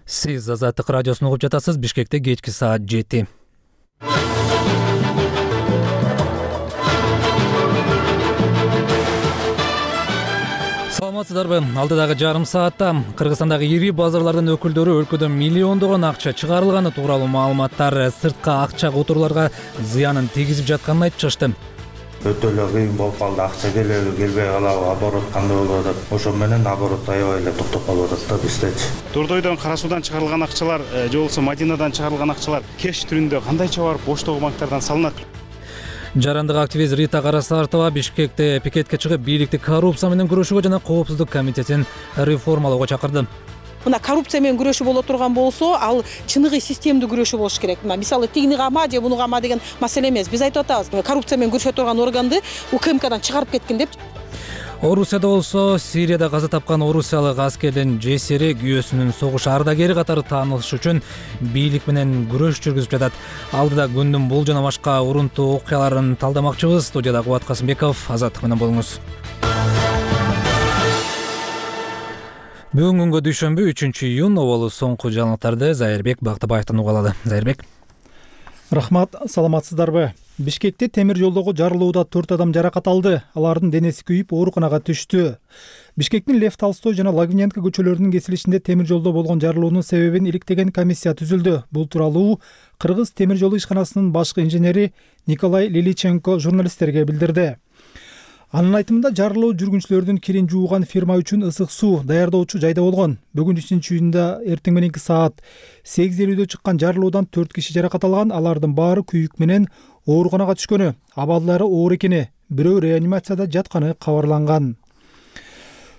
Сиз Азаттык радиосун угуп жатасыз. Бишкекте кечки саат 7. Саламатсыздарбы? Алдыдагы жарым саатта Кыргызстандагы ири базарлардын өкүлдөрү өлкөдө миллиондогон акча чыгарылганы тууралуу маалыматтар сырткы акча которууларга зыянын тийгизип жатканын айтып чыгышты. Өтө эле кыйын болуп калды, акча келеби келбей калабы, оборот кандай болуп атат. Ошо менен оборот аябай эле токтоп калып атат да биздечи. Дордойдон, Кара суудан чыгарылган акчалар же болбосо Мадинадан чыгарылган акчалар кеш түрүндө кандайча барып боштогу банктардан салынат? Жарандык активист Рита Карасартова Бишкекте пикетке чыгып, бийликти коррупция менен күрөшүүгө жана коопсуздук комитетин реформалоого чакырды. Мына коррупция менен күрөшүү боло турган болсо, ал чыныгы системдүү күрөшүү болуш керек. Мисалы тигини кама же буну кама деген маселе эмес. Биз айтып атабыз, коррупция менен күрөшө турган органды УКМКдан чыгарып кеткин деп. Орусияда болсо, Сирияда каза тапкан орусиялык аскердин жесири күйөөсүнүн согуш ардагери катары таанылыш үчүн бийлик менен күрөш жүргүзүп жатат. Алдыда күндүн бул жана башка урунтуу окуяларын талдамакчыбыз. Студияда Кубат Касымбеков, Азаттык менен болуңуз. Бүгүнкү күнгө дүйшөмбү 3-июнь оболу соңку жаңылыктарды Зайырбек Бактыбаевден уга алалы. Зайырбек. Рахмат, саламатсыздарбы? Бишкекте темир жолдогу жарылууда 4 адам жаракат алды. Алардын денеси күйүп, ооруканага түштү. Бишкектин Лев Толстой жана Лагвиненко көчөлөрүнүн кесилишинде темир жолдо болгон жарылуунун себебин иликтеген комиссия түзүлдү. Бул тууралуу Кыргыз темир жолу ишканасынын башкы инженери Николай Лиличенко журналисттерге билдирди. Анын айтымында жарылуу жүргүнчүлөрдүн кирин жууган фирма үчүн ысык суу даярдоочу жайда болгон. Бүгүн 3-июнда эртең мененки саат 8:50 чыккан жарылуудан 4 киши жаракат алган. Алардын баары күйүк менен ооруканага түшкөнү, абалдары оор экени, бирөө реанимацияда жатканы кабарланган.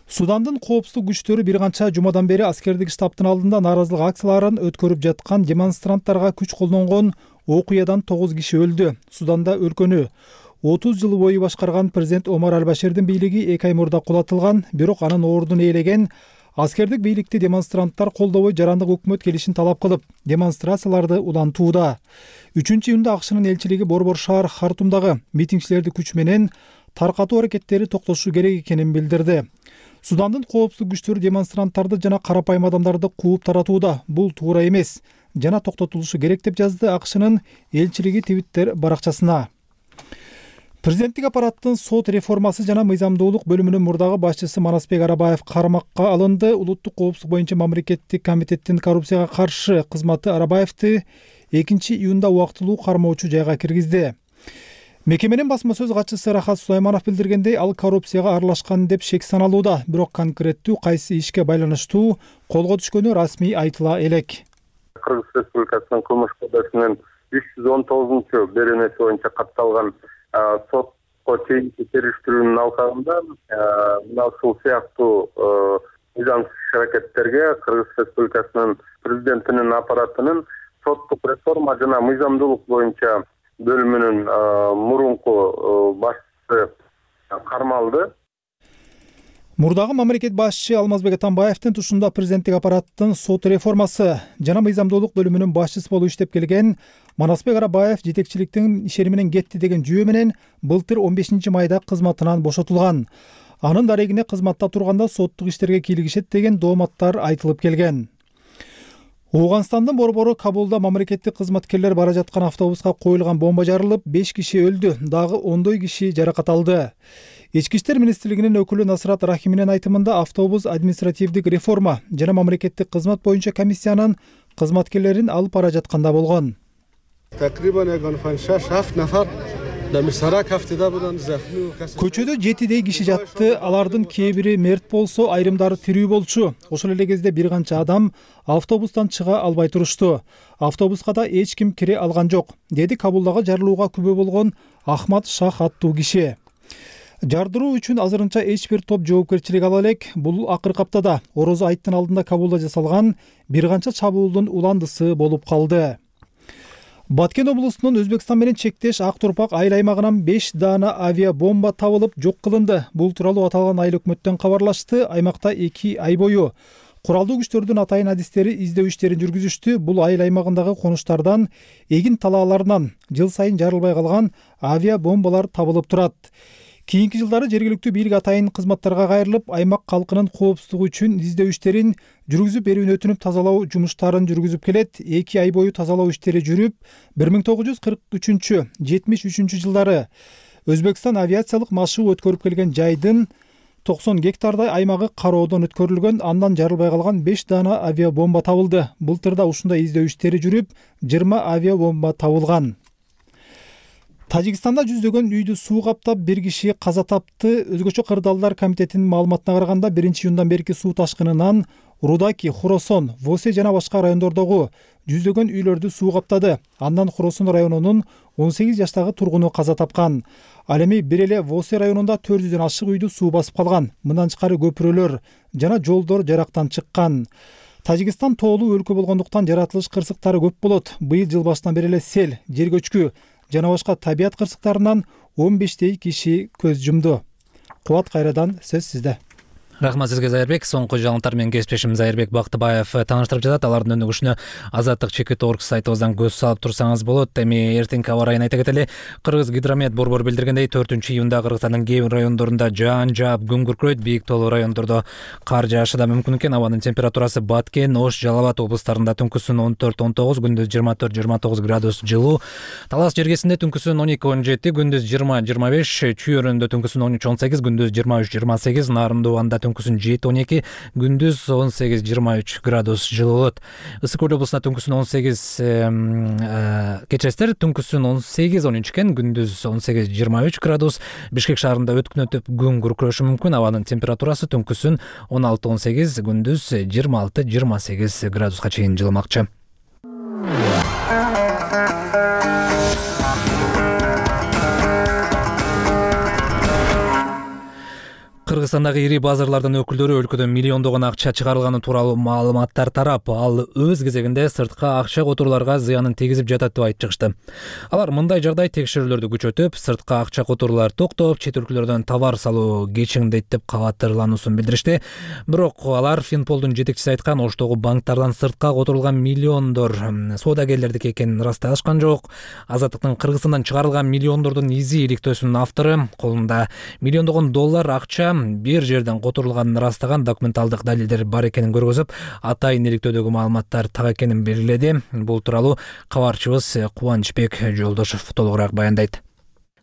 Судандын коопсуздук күчтөрү бир канча жумадан бери аскердик штабтын алдында нааразылык акцияларын өткөрүп жаткан демонстранттарга күч колдонгон окуядан 9 киши өлдү. Суданда өлкөнү 30 жыл бою башкарган президент Омар Аль-Баширдин бийлиги 2 ай мурда кулатылган, бирок анын ордун ээлеген аскердик бийликти демонстранттар колдобой жарандык өкмөт келишин талап кылып, демонстрацияларды улантууда. 3-июнда АКШнын элчилиги Борбор шаар Хартумдагы митингчилерди күч менен таркатуу аракеттери токтошу керек экенин билдирди. Судандын коопсуздук күчтөрү демонстранттарды жана карапайым адамдарды кууп таратууда. Бул туура эмес жана токтотулушу керек деп жазды АКШнын элчилиги Твиттер баракчасына. Президенттик аппараттын сот реформасы жана мыйзамдуулук бөлүмүнүн мурдагы башчысы Манасбек Арабаев кармакка алынды. Улуттук коопсуздук боюнча мамлекеттик комитеттин коррупцияга каршы кызматы Арабаевди 2-июнда убактылуу кармоочу жайга киргизди. Мекеменин басма сөз катчысы Рахат Сулайманов билдиргендей, ал коррупцияга аралашкан деп шек саналууда, бирок конкреттүү кайсы ишке байланыштуу колго түшкөнү расмий айтыла элек. Кыргыз Республикасынын кылмыш кодексинин 319 беренеси боюнча катталган сотко чейинки териштирүүнүн алкагында мына ушул сыяктуу мыйзамсыз аракеттерге Кыргыз Республикасынын президентинин аппаратынын соттук реформа жана мыйзамдуулук боюнча бөлүмүнүн мурунку башчысы кармалды. Мурдагы мамлекет башчы Алмазбек Атамбаевдин тушунда президенттик аппараттын сот реформасы жана мыйзамдуулук бөлүмүнүн башчысы болуп иштеп келген Манасбек Арабаев жетекчиликтин ишери менен кетти деген жүйө менен былтыр 15 майда кызматынан бошотулган. Анын дарегине кызматта турганда соттук иштерге кийлигишет деген дооматтар айтылып келген. Ооганстандын борбору Кабулда мамлекеттик кызматкерлер бара жаткан автобуска коюлган бомба жарылып, 5 киши өлдү, дагы 10 киши жаракат алды. Ички иштер министрлигинин өкүлү Насрат Рахиминин айтымында автобус административдик реформа жана мамлекеттик кызмат боюнча комиссиянын кызматкерлерин алып бара жатканда болгон. Көчөдө 7 киши жатты, алардын кээ бири мерт болсо, айрымдары тирүү болчу. Ошол эле кезде бир канча адам автобустан чыга албай турушту. Автобуска да эч ким кире алган жок, деди Кабулдагы жарылууга күбө болгон Ахмад Шах аттуу киши. Жардыруу үчүн азырынча эч бир топ жоопкерчилик ала элек. Бул акыркы аптада Орозо айттын алдында Кабулда жасалган бир канча чабуулдун уландысы болуп калды. Баткен облусунун Өзбекстан менен чектеш Ак Турпак айыл аймагынан 5 даана авиабомба табылып жок кылынды. Бул тууралуу аталган айыл өкмөттөн кабарлашты. Аймакта 2 ай бою куралдуу күчтөрдүн атайын адистери издөө иштерин жүргүзүштү. Бул айыл аймагындагы конуштардан, эгин талааларынан жыл сайын жарылбай калган авиабомбалар табылып турат. Кийинки жылдары жергиликтүү бийлик атайын кызматтарга кайрылып, аймак калкынын коопсуздугу үчүн издөө иштерин жүргүзүп берүүнү өтүнүп тазалоо жумуштарын жүргүзүп келет. 2 ай бою тазалоо иштери жүрүп, 1943-73 жылдары Өзбекстан авиациялык машыгуу өткөрүп келген жайдын 90 гектардай аймагы кароодон өткөрүлгөн, андан жарылбай калган 5 дана авиабомба табылды. Былтырда ушундай издөө иштери жүрүп, 20 авиабомба табылган. Тажикстанда жүздөгөн үйдү суу каптап, 1 киши каза тапты. Өзгөчө кырдаалдар комитетинин маалыматына караганда 1-июндан берки суу ташкынынан Рудаки, Хоросон, Восе жана башка райондордогу жүздөгөн үйлөрдү суу каптады. Андан Хоросон районунун 18 жаштагы тургуну каза тапкан. Ал эми бир эле Восе районунда 400дөн ашык үйдү суу басып калган. Мындан тышкары көпүрөлөр жана жолдор жарактан чыккан. Тажикстан тоолуу өлкө болгондуктан жаратылыш кырсыктары көп болот. Быйыл жыл башынан бери эле сел, жер көчкү жана башка табият кырсыктарынан 15 киши көз жумду. Кубат, кайрадан сөз сизде. Рахмат сизге, Зайырбек. Соңку жаңылыктар менен кесиптешим Зайырбек Бактыбаев тааныштырып жатат. Алардын өнүгүшүнө Азаттык.org сайтыбыздан көз салып турсаңыз болот. Эми эртеңки аба ырайын айта кетели. Кыргыз гидромет борбору билдиргендей, 4-июнда Кыргызстандын кээ бир райондорунда жаан жаап, күн күркүрөйт. Бийик тоолуу райондордо кар жаашы да мүмкүн экен. Абанын температурасы Баткен, Ош, Жалал Абад облустарында түнкүсүн 14-19, күндүз 24-29 градус жылуу. Талас жергесинде түнкүсүн 12-17, күндүз 20-25, Чүй-өрөндө түнкүсүн 13-18, күндүз 23-28, Нарындуу анда түнкүсүн 7-12, күндүз 18-23 градус жылуу болот. Ысык Көл облусунда түнкүсүн 18, кечестер түнкүсүн 18-13 экен, күндүз 18-23 градус. Бишкек шаарында өткүнөтүп күн күркүрөшү мүмкүн. Абанын температурасы түнкүсүн 16-18, күндүз 26-28 градуска чейин жылымакчы. Кыргызстандагы ири базарлардын өкүлдөрү өлкөдөн миллиондогон акча чыгарылганы тууралуу маалыматтар тарап, ал өз кезегинде сырткы акча которууларга зыянын тийгизип жатат деп айтып чыгышты. Алар мындай жагдай текшерүүлөрдү күчөтүп, сырткы акча которуулар токтоп, чет өлкөлөрдөн товар салуу кечиңдейт деп кабаттырлануусун билдиришти. Бирок алар Финполдун жетекчиси айткан Оштогу банктардан сыртка которулган миллиондор соодагерлердики экенин ырасташкан жок. Азаттыктын Кыргызстандан чыгарылган миллиондордун изи иликтөөсүнүн автору колунда миллиондогон доллар акча бир жерден которулганын ырастаган документалдык далилдер бар экенин көргөзүп, атайын иликтөөдөгү маалыматтар так экенин белгиледи. Бул тууралуу кабарчыбыз Кубанычбек Жолдошов толугураак баяндайт.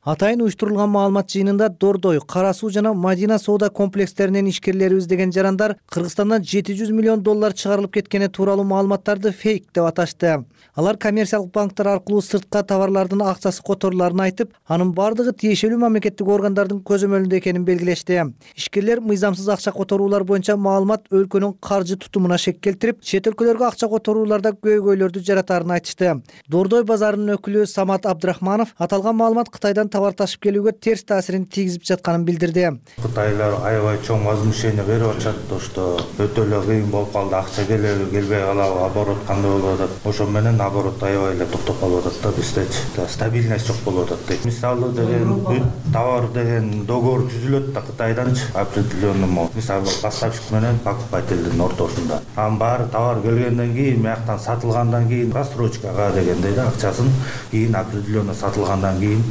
Атайын уюштурулган маалымат жыйынында Дордой, Кара Суу жана Мадина соода комплекстеринен ишкерлерибиз деген жарандар Кыргызстандан 700 миллион доллар чыгарылып кеткени тууралуу маалыматтарды фейк деп аташты. Алар коммерциялык банктар аркылуу сыртка товарлардын акчасы которуларын айтып, анын бардыгы тиешелүү мамлекеттик органдардын көзөмөлүндө экенин белгилешти. Ишкерлер мыйзамсыз акча которуулар боюнча маалымат өлкөнүн каржы тутумуна шек келтирип, чет өлкөлөргө акча которууларда көйгөйлөрдү жаратарын айтышты. Дордой базарынын өкүлү Самат Абдрахманов аталган маалымат Кытайдан товар ташып келүүгө терс таасирин тийгизип жатканын билдирди. Кытайлар аябай чоң возмущение берип атышат, что өтө эле кыйын болуп калды, акча келеби, келбей калабы, оборот кандай болуп атат. Ошо менен оборот аябай эле токтоп калып атат да, бизде стабильность жок болуп атат дейт. Мисалы деген товар деген договор түзүлөт да Кытайданчы определенный, мисалы поставщик менен покупательдин ортосунда. Анын баары товар келгенден кийин, маяктан сатылгандан кийин рассрочкага дегендей да, акчасын кийин определенно сатылгандан кийин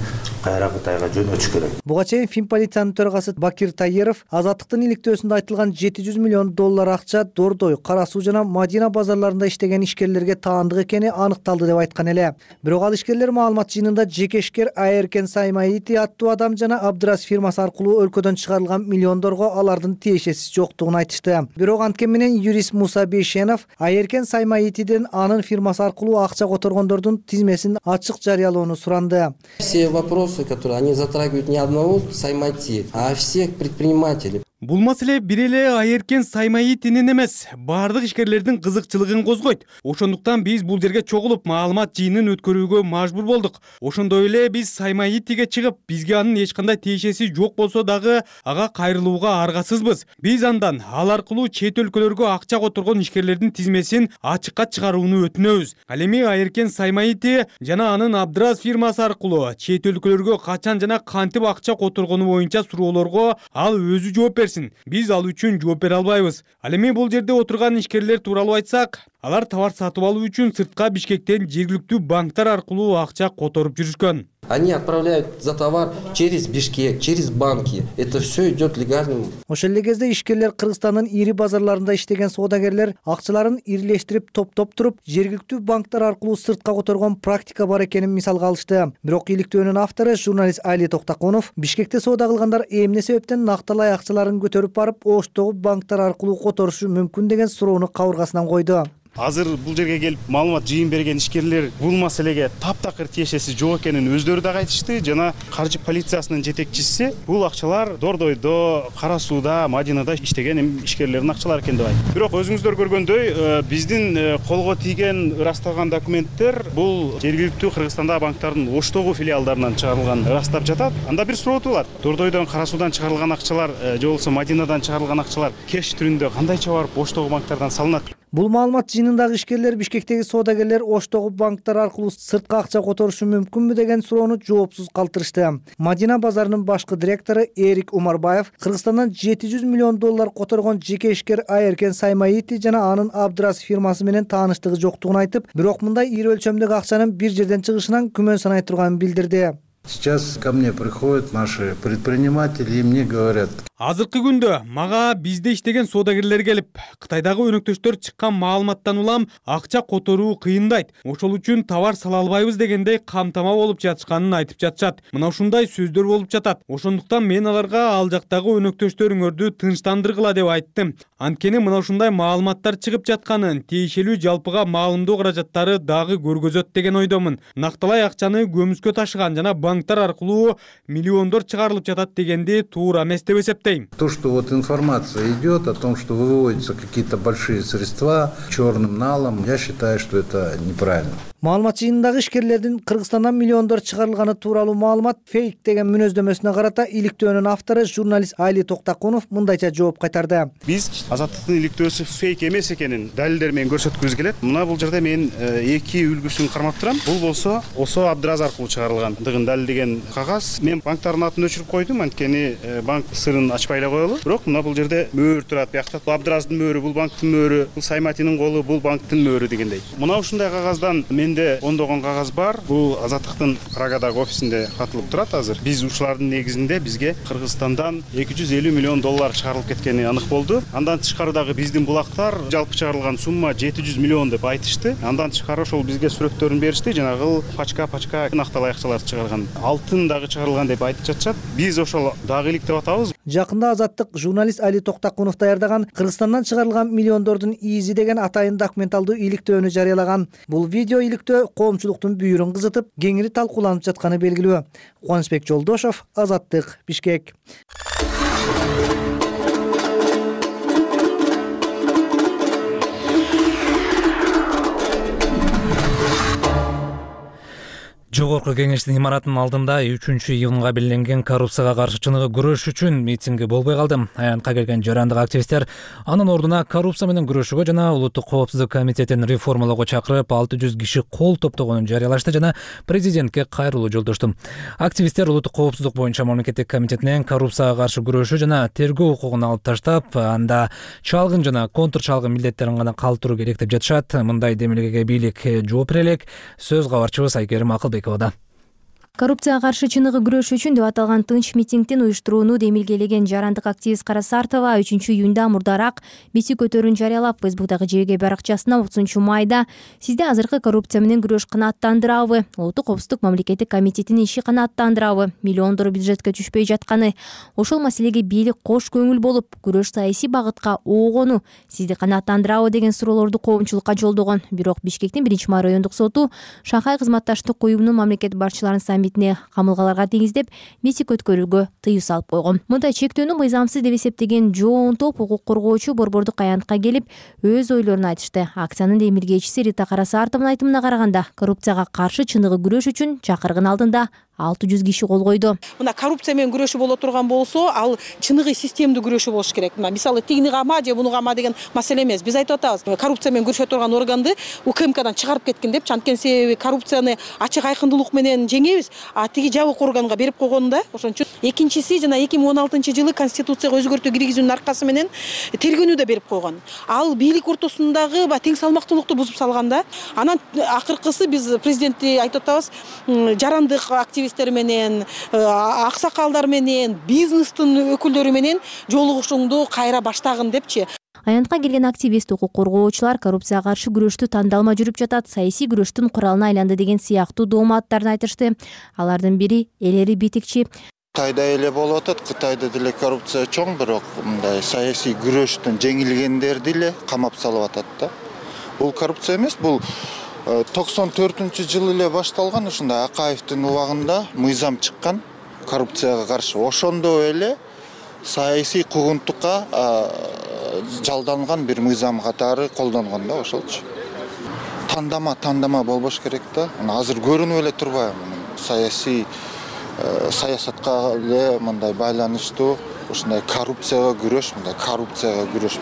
кайра Кытайга жөнөтүш керек. Буга чейин Финполициянын төрагасы Бакир Таиров Азаттыктын иликтөөсүндө айтылган 700 миллион доллар акча Дордой, Кара Суу жана Мадина базарларында иштеген ишкерлерге таандык экени аныкталды деп айткан эле. Бирок ал ишкерлер маалымат жыйынында жекешкер Айеркен Саймаити аттуу адам жана Абдрас фирмасы аркылуу өлкөдөн чыгарылган миллиондорго алардын тиешеси жоктугун айтышты. Бирок анткени менен юрист Муса Бейшенов Айеркен Саймаитиден анын фирмасы аркылуу акча которгондордун тизмесин ачык жарыялоону суранды. Все вопросы, которые они затрагивают не одного Саймати, а всех предпринимателей. Бул маселе бир эле Айеркен Саймаитинин эмес, бардык ишкерлердин кызыкчылыгын козгойт. Ошондуктан биз бул жерге чогулуп маалымат жыйынын өткөрүүгө мажбур болдук. Ошондой эле биз Саймаитиге чыгып, бизге анын эч кандай тиешеси жок болсо дагы ага кайрылууга аргасызбыз. Биз андан ал аркылуу чет өлкөлөргө акча которгон ишкерлердин тизмесин ачыкка чыгарууну өтүнөбүз. Ал эми Айеркен Саймаити жана анын Абдрас фирмасы аркылуу чет өлкөлөргө качан жана кантип акча которгону боюнча суроолорго ал өзү жооп берсин. Биз ал үчүн жооп бере албайбыз. Ал эми бул жерде отурган ишкерлер тууралуу айтсак, алар товар сатып алуу үчүн сыртка Бишкектен жергиликтүү банктар аркылуу акча которуп жүрүшкөн. Они отправляют за товар через Бишкек, через банки. Это все идет легальным. Ошол эле кезде ишкерлер Кыргызстандын ири базарларында иштеген соодагерлер акчаларын ирилештирип топтоп туруп жергиликтүү банктар аркылуу сыртка которгон практика бар экенин мисалга алышты. Бирок иликтөөнүн автору журналист Али Токтакунов Бишкекте соода кылгандар эмне себептен накталай акчаларын көтөрүп барып Оштогу банктар аркылуу которушу мүмкүн деген суроону кабыргасынан койду. Азыр бул жерге келип маалымат жыйын берген ишкерлер бул маселеге таптакыр тиешеси жок экенин өздөрү дагы айтышты. Жана каржы полициясынын жетекчиси бул акчалар Дордойдо, Кара Сууда, Мадинада иштеген ишкерлердин акчалары экен деп айтты. Бирок өзүңүздөр көргөндөй, биздин колго тийген ырасталган документтер бул жергиликтүү Кыргызстандагы банктардын Оштогу филиалдарынан чыгарылган ырастап жатат. Анда бир суроо туулат. Дордойдон, Кара Суудан чыгарылган акчалар же болбосо Мадинадан чыгарылган акчалар кеш түрүндө кандайча барып Оштогу банктардан салынат? Бул маалымат жыйынындагы ишкерлер Бишкектеги соодагерлер Оштогу банктар аркылуу сыртка акча которушу мүмкүнбү деген суроону жоопсуз калтырышты. Мадина базарынын башкы директору Эрик Умарбаев Кыргызстандан $700 миллион которгон жеке ишкер Айеркен Саймаити жана анын Абдрас фирмасы менен тааныштыгы жоктугун айтып, бирок мындай ири өлчөмдөгү акчанын бир жерден чыгышынан күмөн санай турганын билдирди. Сейчас ко мне приходят наши предприниматели и мне говорят: азыркы күндө мага бизде иштеген соодагерлер келип, Кытайдагы өнөктөштөр чыккан маалыматтан улам акча которуу кыйындайт. Ошол үчүн товар сала албайбыз дегендей камтама болуп жатышканын айтып жатышат. Мына ушундай сөздөр болуп жатат. Ошондуктан мен аларга ал жактагы өнөктөштөрүңөрдү тынчтандыргыла деп айттым. Анткени мына ушундай маалыматтар чыгып жатканын тиешелүү жалпыга маалымдоо каражаттары дагы көргөзөт деген ойдомун. Накталай акчаны көмүскө ташыган жана банктар аркылуу миллиондор чыгарылып жатат дегенди туура эмес деп эсептейм. То, что вот информация идет о том, что выводятся какие-то большие средства черным налом, я считаю, что это неправильно. Маалымат жыйынындагы ишкерлердин Кыргызстандан миллиондор чыгарылганы тууралуу маалымат фейк деген мүнөздөмөсүнө карата иликтөөнүн автору журналист Али Токтакунов мындайча жооп кайтарды. Биз Азаттыктын иликтөөсү фейк эмес экенин далилдер менен көрсөткүбүз келет. Мына бул жерде мен эки үлгүсүн кармап турам. Бул болсо Осо Абдраз аркылуу чыгарылгандыгын далилдеген кагаз. Мен банктардын атын өчүрүп койдум, анткени банк сырын ачпай эле коелу. Бирок мына бул жерде мөөр турат. Биякта Абдраздын мөөрү, бул банктын мөөрү, бул Сайматинин колу, бул банктын мөөрү дегендей. Мына ушундай кагаздан менде ондогон кагаз бар. Бул Азаттыктын Прагадагы офисинде катылып турат азыр. Биз ушулардын негизинде бизге Кыргызстандан $250 миллион чыгарылып кеткени анык болду. Андан тышкары дагы биздин булактар жалпы чыгарылган сумма $700 миллион деп айтышты. Андан тышкары ошол бизге сүрөттөрүн беришти. Жанагы пачка накталай акчаларды чыгарган. Алтын дагы чыгарылган деп айтып жатышат. Биз ошол дагы иликтеп атабыз. Жакында Азаттык журналист Али Токтакунов даярдаган Кыргызстандан чыгарылган миллиондордун изи деген атайын документалдуу иликтөөнү жарыялаган. Бул видео иликтөө коомчулуктун бүйүрүн кызытып, кеңири талкууланып жатканы белгилүү. Кубанычбек Жолдошов, Азаттык, Бишкек. Жогорку кеңештин имаратынын алдында 3-июнга белгиленген коррупцияга каршы чыныгы күрөш үчүн митинги болбой калды. Аянтка келген жарандык активисттер анын ордуна коррупция менен күрөшүүгө жана улуттук коопсуздук комитетин реформалоого чакырып 600 киши кол топтогонун жарыялашты жана президентке кайрылуу жолдошту. Активисттер улуттук коопсуздук боюнча мамлекеттик комитетинен коррупцияга каршы күрөшүү жана тергөө укугун алып таштап, анда чалгын жана контр чалгын милдеттерин гана калтыруу керек деп жатышат. Мындай демилгеге бийлик жооп бере элек. Сөз кабарчыбыз Айкерим Акылбек. Коррупцияга каршы чыныгы күрөш үчүн деп аталган тынч митингдин уюштурууну демилгелеген жарандык активист Кара Сартова 3-июнда мурдараак бити көтөрүүнү жарыялап, Фейсбуктагы жеке баракчасына 30-майда сизди азыркы коррупция менен күрөш канааттандырабы, улуттук коопсуздук мамлекеттик комитетинин иши канааттандырабы, миллиондор бюджетке түшпөй жатканы, ошол маселеге бийлик кош көңүл болуп, күрөш саясий багытка оогону сизди канааттандырабы деген суроолорду коомчулукка жолдогон. Бирок Бишкектин 1-май райондук соту Шанхай кызматташтык уюмунун мамлекет башчыларынын саммитине камылгаларга тийгиздеп, митинг өткөрүүгө тыюу салып койгон. Мындай чектөөнү мыйзамсыз деп эсептеген жоон топ укук коргоочу борбордук аянтка келип, өз ойлорун айтышты. Акциянын демилгечиси Рита Карасартовдун айтымына караганда, коррупцияга каршы чыныгы күрөш үчүн чакыргын алдында 600 киши кол койду. Мына коррупция менен күрөшүү боло турган болсо, ал чыныгы системдүү күрөшүү болуш керек. Мисалы тигини кама же буну кама деген маселе эмес. Биз айтып атабыз, коррупция менен күрөшө турган органды УКМКдан чыгарып кеткин деп, анткени себеби коррупцияны ачык айкындуулук менен жеңебиз. а тиги жабык органга берип койгон да. Ошон үчүн экинчиси жана 2016-жылы конституцияга өзгөртүү киргизүүнүн аркасы менен тергөөнү да берип койгон. Ал бийлик ортосундагы тең салмактуулукту бузуп салган да. Анан акыркысы биз президентти айтып атабыз, жарандык активисттер менен, аксакалдар менен, бизнестин өкүлдөрү менен жолугушууңду кайра баштагын депчи. Аянтка келген активист укук коргоочулар коррупцияга каршы күрөштү тандалма жүрүп жатат, саясий күрөштүн куралына айланды деген сыяктуу дооматтарын айтышты. Алардын бири Элери Битикчи. Кытайда эле болуп атат, Кытайда деле коррупция чоң, бирок мындай саясий күрөштөн жеңилгендерди эле камап салып атат да. Бул коррупция эмес, бул 94-жылы эле башталган, ушундай Акаевдин убагында мыйзам чыккан коррупцияга каршы. Ошондо эле саясий куугунтукка жалданган бир мыйзам катары колдонгон да, ошолчу. Тандама болбош керек да. Азыр көрүнүп эле турбайбы, саясатка эле мындай байланыштуу ушундай коррупцияга күрөш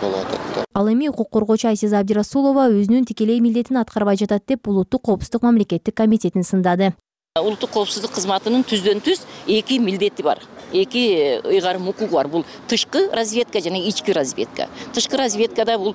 болуп атат да. Ал эми укук коргоочу Айсиза Абдирасулова өзүнүн тикелей милдетин аткарбай жатат деп Улуттук коопсуздук мамлекеттик комитетин сындады. Улуттук коопсуздук кызматынын түздөн-түз эки милдети бар. Эки ыйгарым укугу бар. Бул тышкы разведка жана ички разведка. Тышкы разведкада бул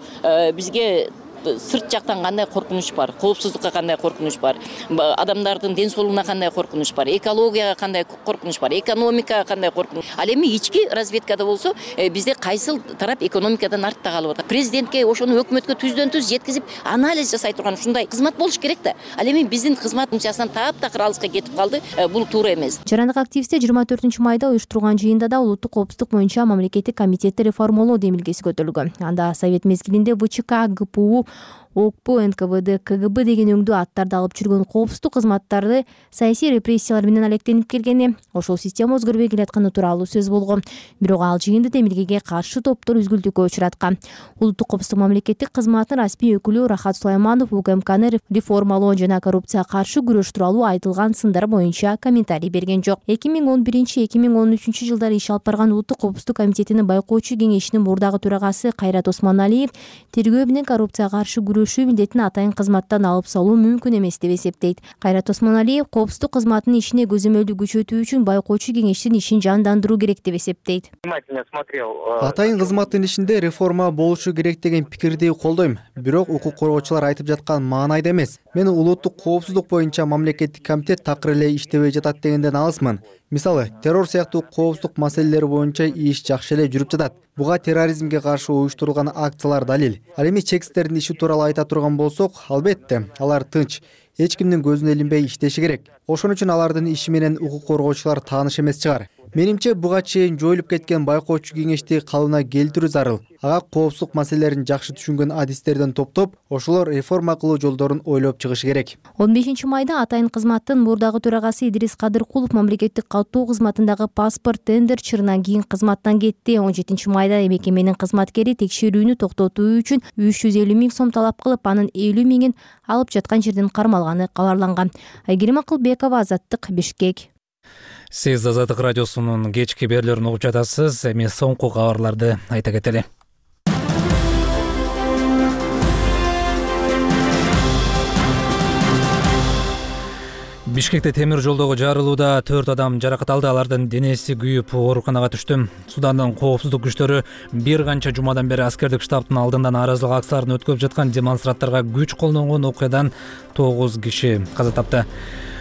бизге сырт жактан кандай коркунуч бар, коопсуздукка кандай коркунуч бар, адамдардын ден соолугуна кандай коркунуч бар, экологияга кандай коркунуч бар, экономикага кандай коркунуч. Ал эми ички разведкада болсо бизде кайсыл тарап экономикадан артта калып атат. Президентке ошону өкмөткө түздөн-түз жеткизип анализ жасай турган ушундай кызмат болуш керек да. Ал эми биздин кызмат функциясынан таптакыр алыска кетип калды. Бул туура эмес. Жарандык активисттер 24-майда уюштурган жыйында да улуттук коопсуздук боюнча мамлекеттик комитетти реформалоо демилгеси көтөрүлгөн. Анда Совет мезгилинде ВЧК, ГПУ, ОКП, НКВД, КГБ деген өңдүү аттарды алып жүргөн коопсуздук кызматтарды саясий репрессиялар менен алектенип келгени, ошол система өзгөрбөй келатканы тууралуу сөз болгон. Бирок ал жыйынды демилгеге каршы топтор үзгүлтүккө учураткан. Улуттук коопсуздук мамлекеттик кызматтын расмий өкүлү Рахат Сулайманов УКМКны реформалоо жана коррупцияга каршы күрөш тууралуу айтылган сындар боюнча комментарий берген жок. 2011-2013 жылдары иш алып барган Улуттук коопсуздук комитетинин байкоочу кеңешинин мурдагы төрагасы Кайрат Осмоналиев тергөө менен коррупцияга каршы күрөшүү милдетин атайын кызматтан алып салуу мүмкүн эмес деп эсептейт. Кайрат Осмоналиев коопсуздук кызматынын ишине көзөмөлдү күчөтүү үчүн байкоочу кеңештин ишин жандандыруу керек деп эсептейт. Атайын кызматтын ишинде реформа болушу керек деген пикирди колдойм. Бирок укук коргоочулар айтып жаткан маанайда эмес. Мен улуттук коопсуздук боюнча мамлекеттик комитет такыр эле иштебей жатат дегенден алысмын. Мисалы, террор сыяктуу коопсуздук маселелери боюнча иш жакшы эле жүрүп жатат. Буга терроризмге каршы уюштурулган акциялар далил. Ал эми чекстердин иши тууралуу айта турган болсок, албетте, алар тынч, эч кимдин көзүнө илинбей иштеши керек. Ошон үчүн алардын иши менен укук коргоочулар тааныш эмес чыгар. Менимче буга чейин жоюлуп кеткен байкоочу кеңешти калыбына келтирүү зарыл. Ага коопсуздук маселелерин жакшы түшүнгөн адистерден топтоп, ошолор реформа кылуу жолдорун ойлоп чыгышы керек. 15-майда атайын кызматтын мурдагы төрагасы Идрис Кадыркулов мамлекеттик каттоо кызматындагы паспорт тендер чырынан кийин кызматтан кетти. 17-майда мекеменин кызматкери текшерүүнү токтотуу үчүн 350 000 сом талап кылып, анын 50 000-ин алып жаткан жерден кармалганы кабарланган. Айгерим Акылбекова, Азаттык, Бишкек. Сиз Азаттык радиосунун кечки берүүлөрүн угуп жатасыз. Эми соңку кабарларды айта кетели. Бишкекте темир жолдогу жарылууда 4 адам жаракат алды. Алардын денеси күйүп ооруканага түштү. Судандын коопсуздук күчтөрү бир канча жумадан бери аскердик штабтын алдында нааразылык акцияларын өткөрүп жаткан демонстранттарга күч колдонгон окуядан 9 киши каза тапты.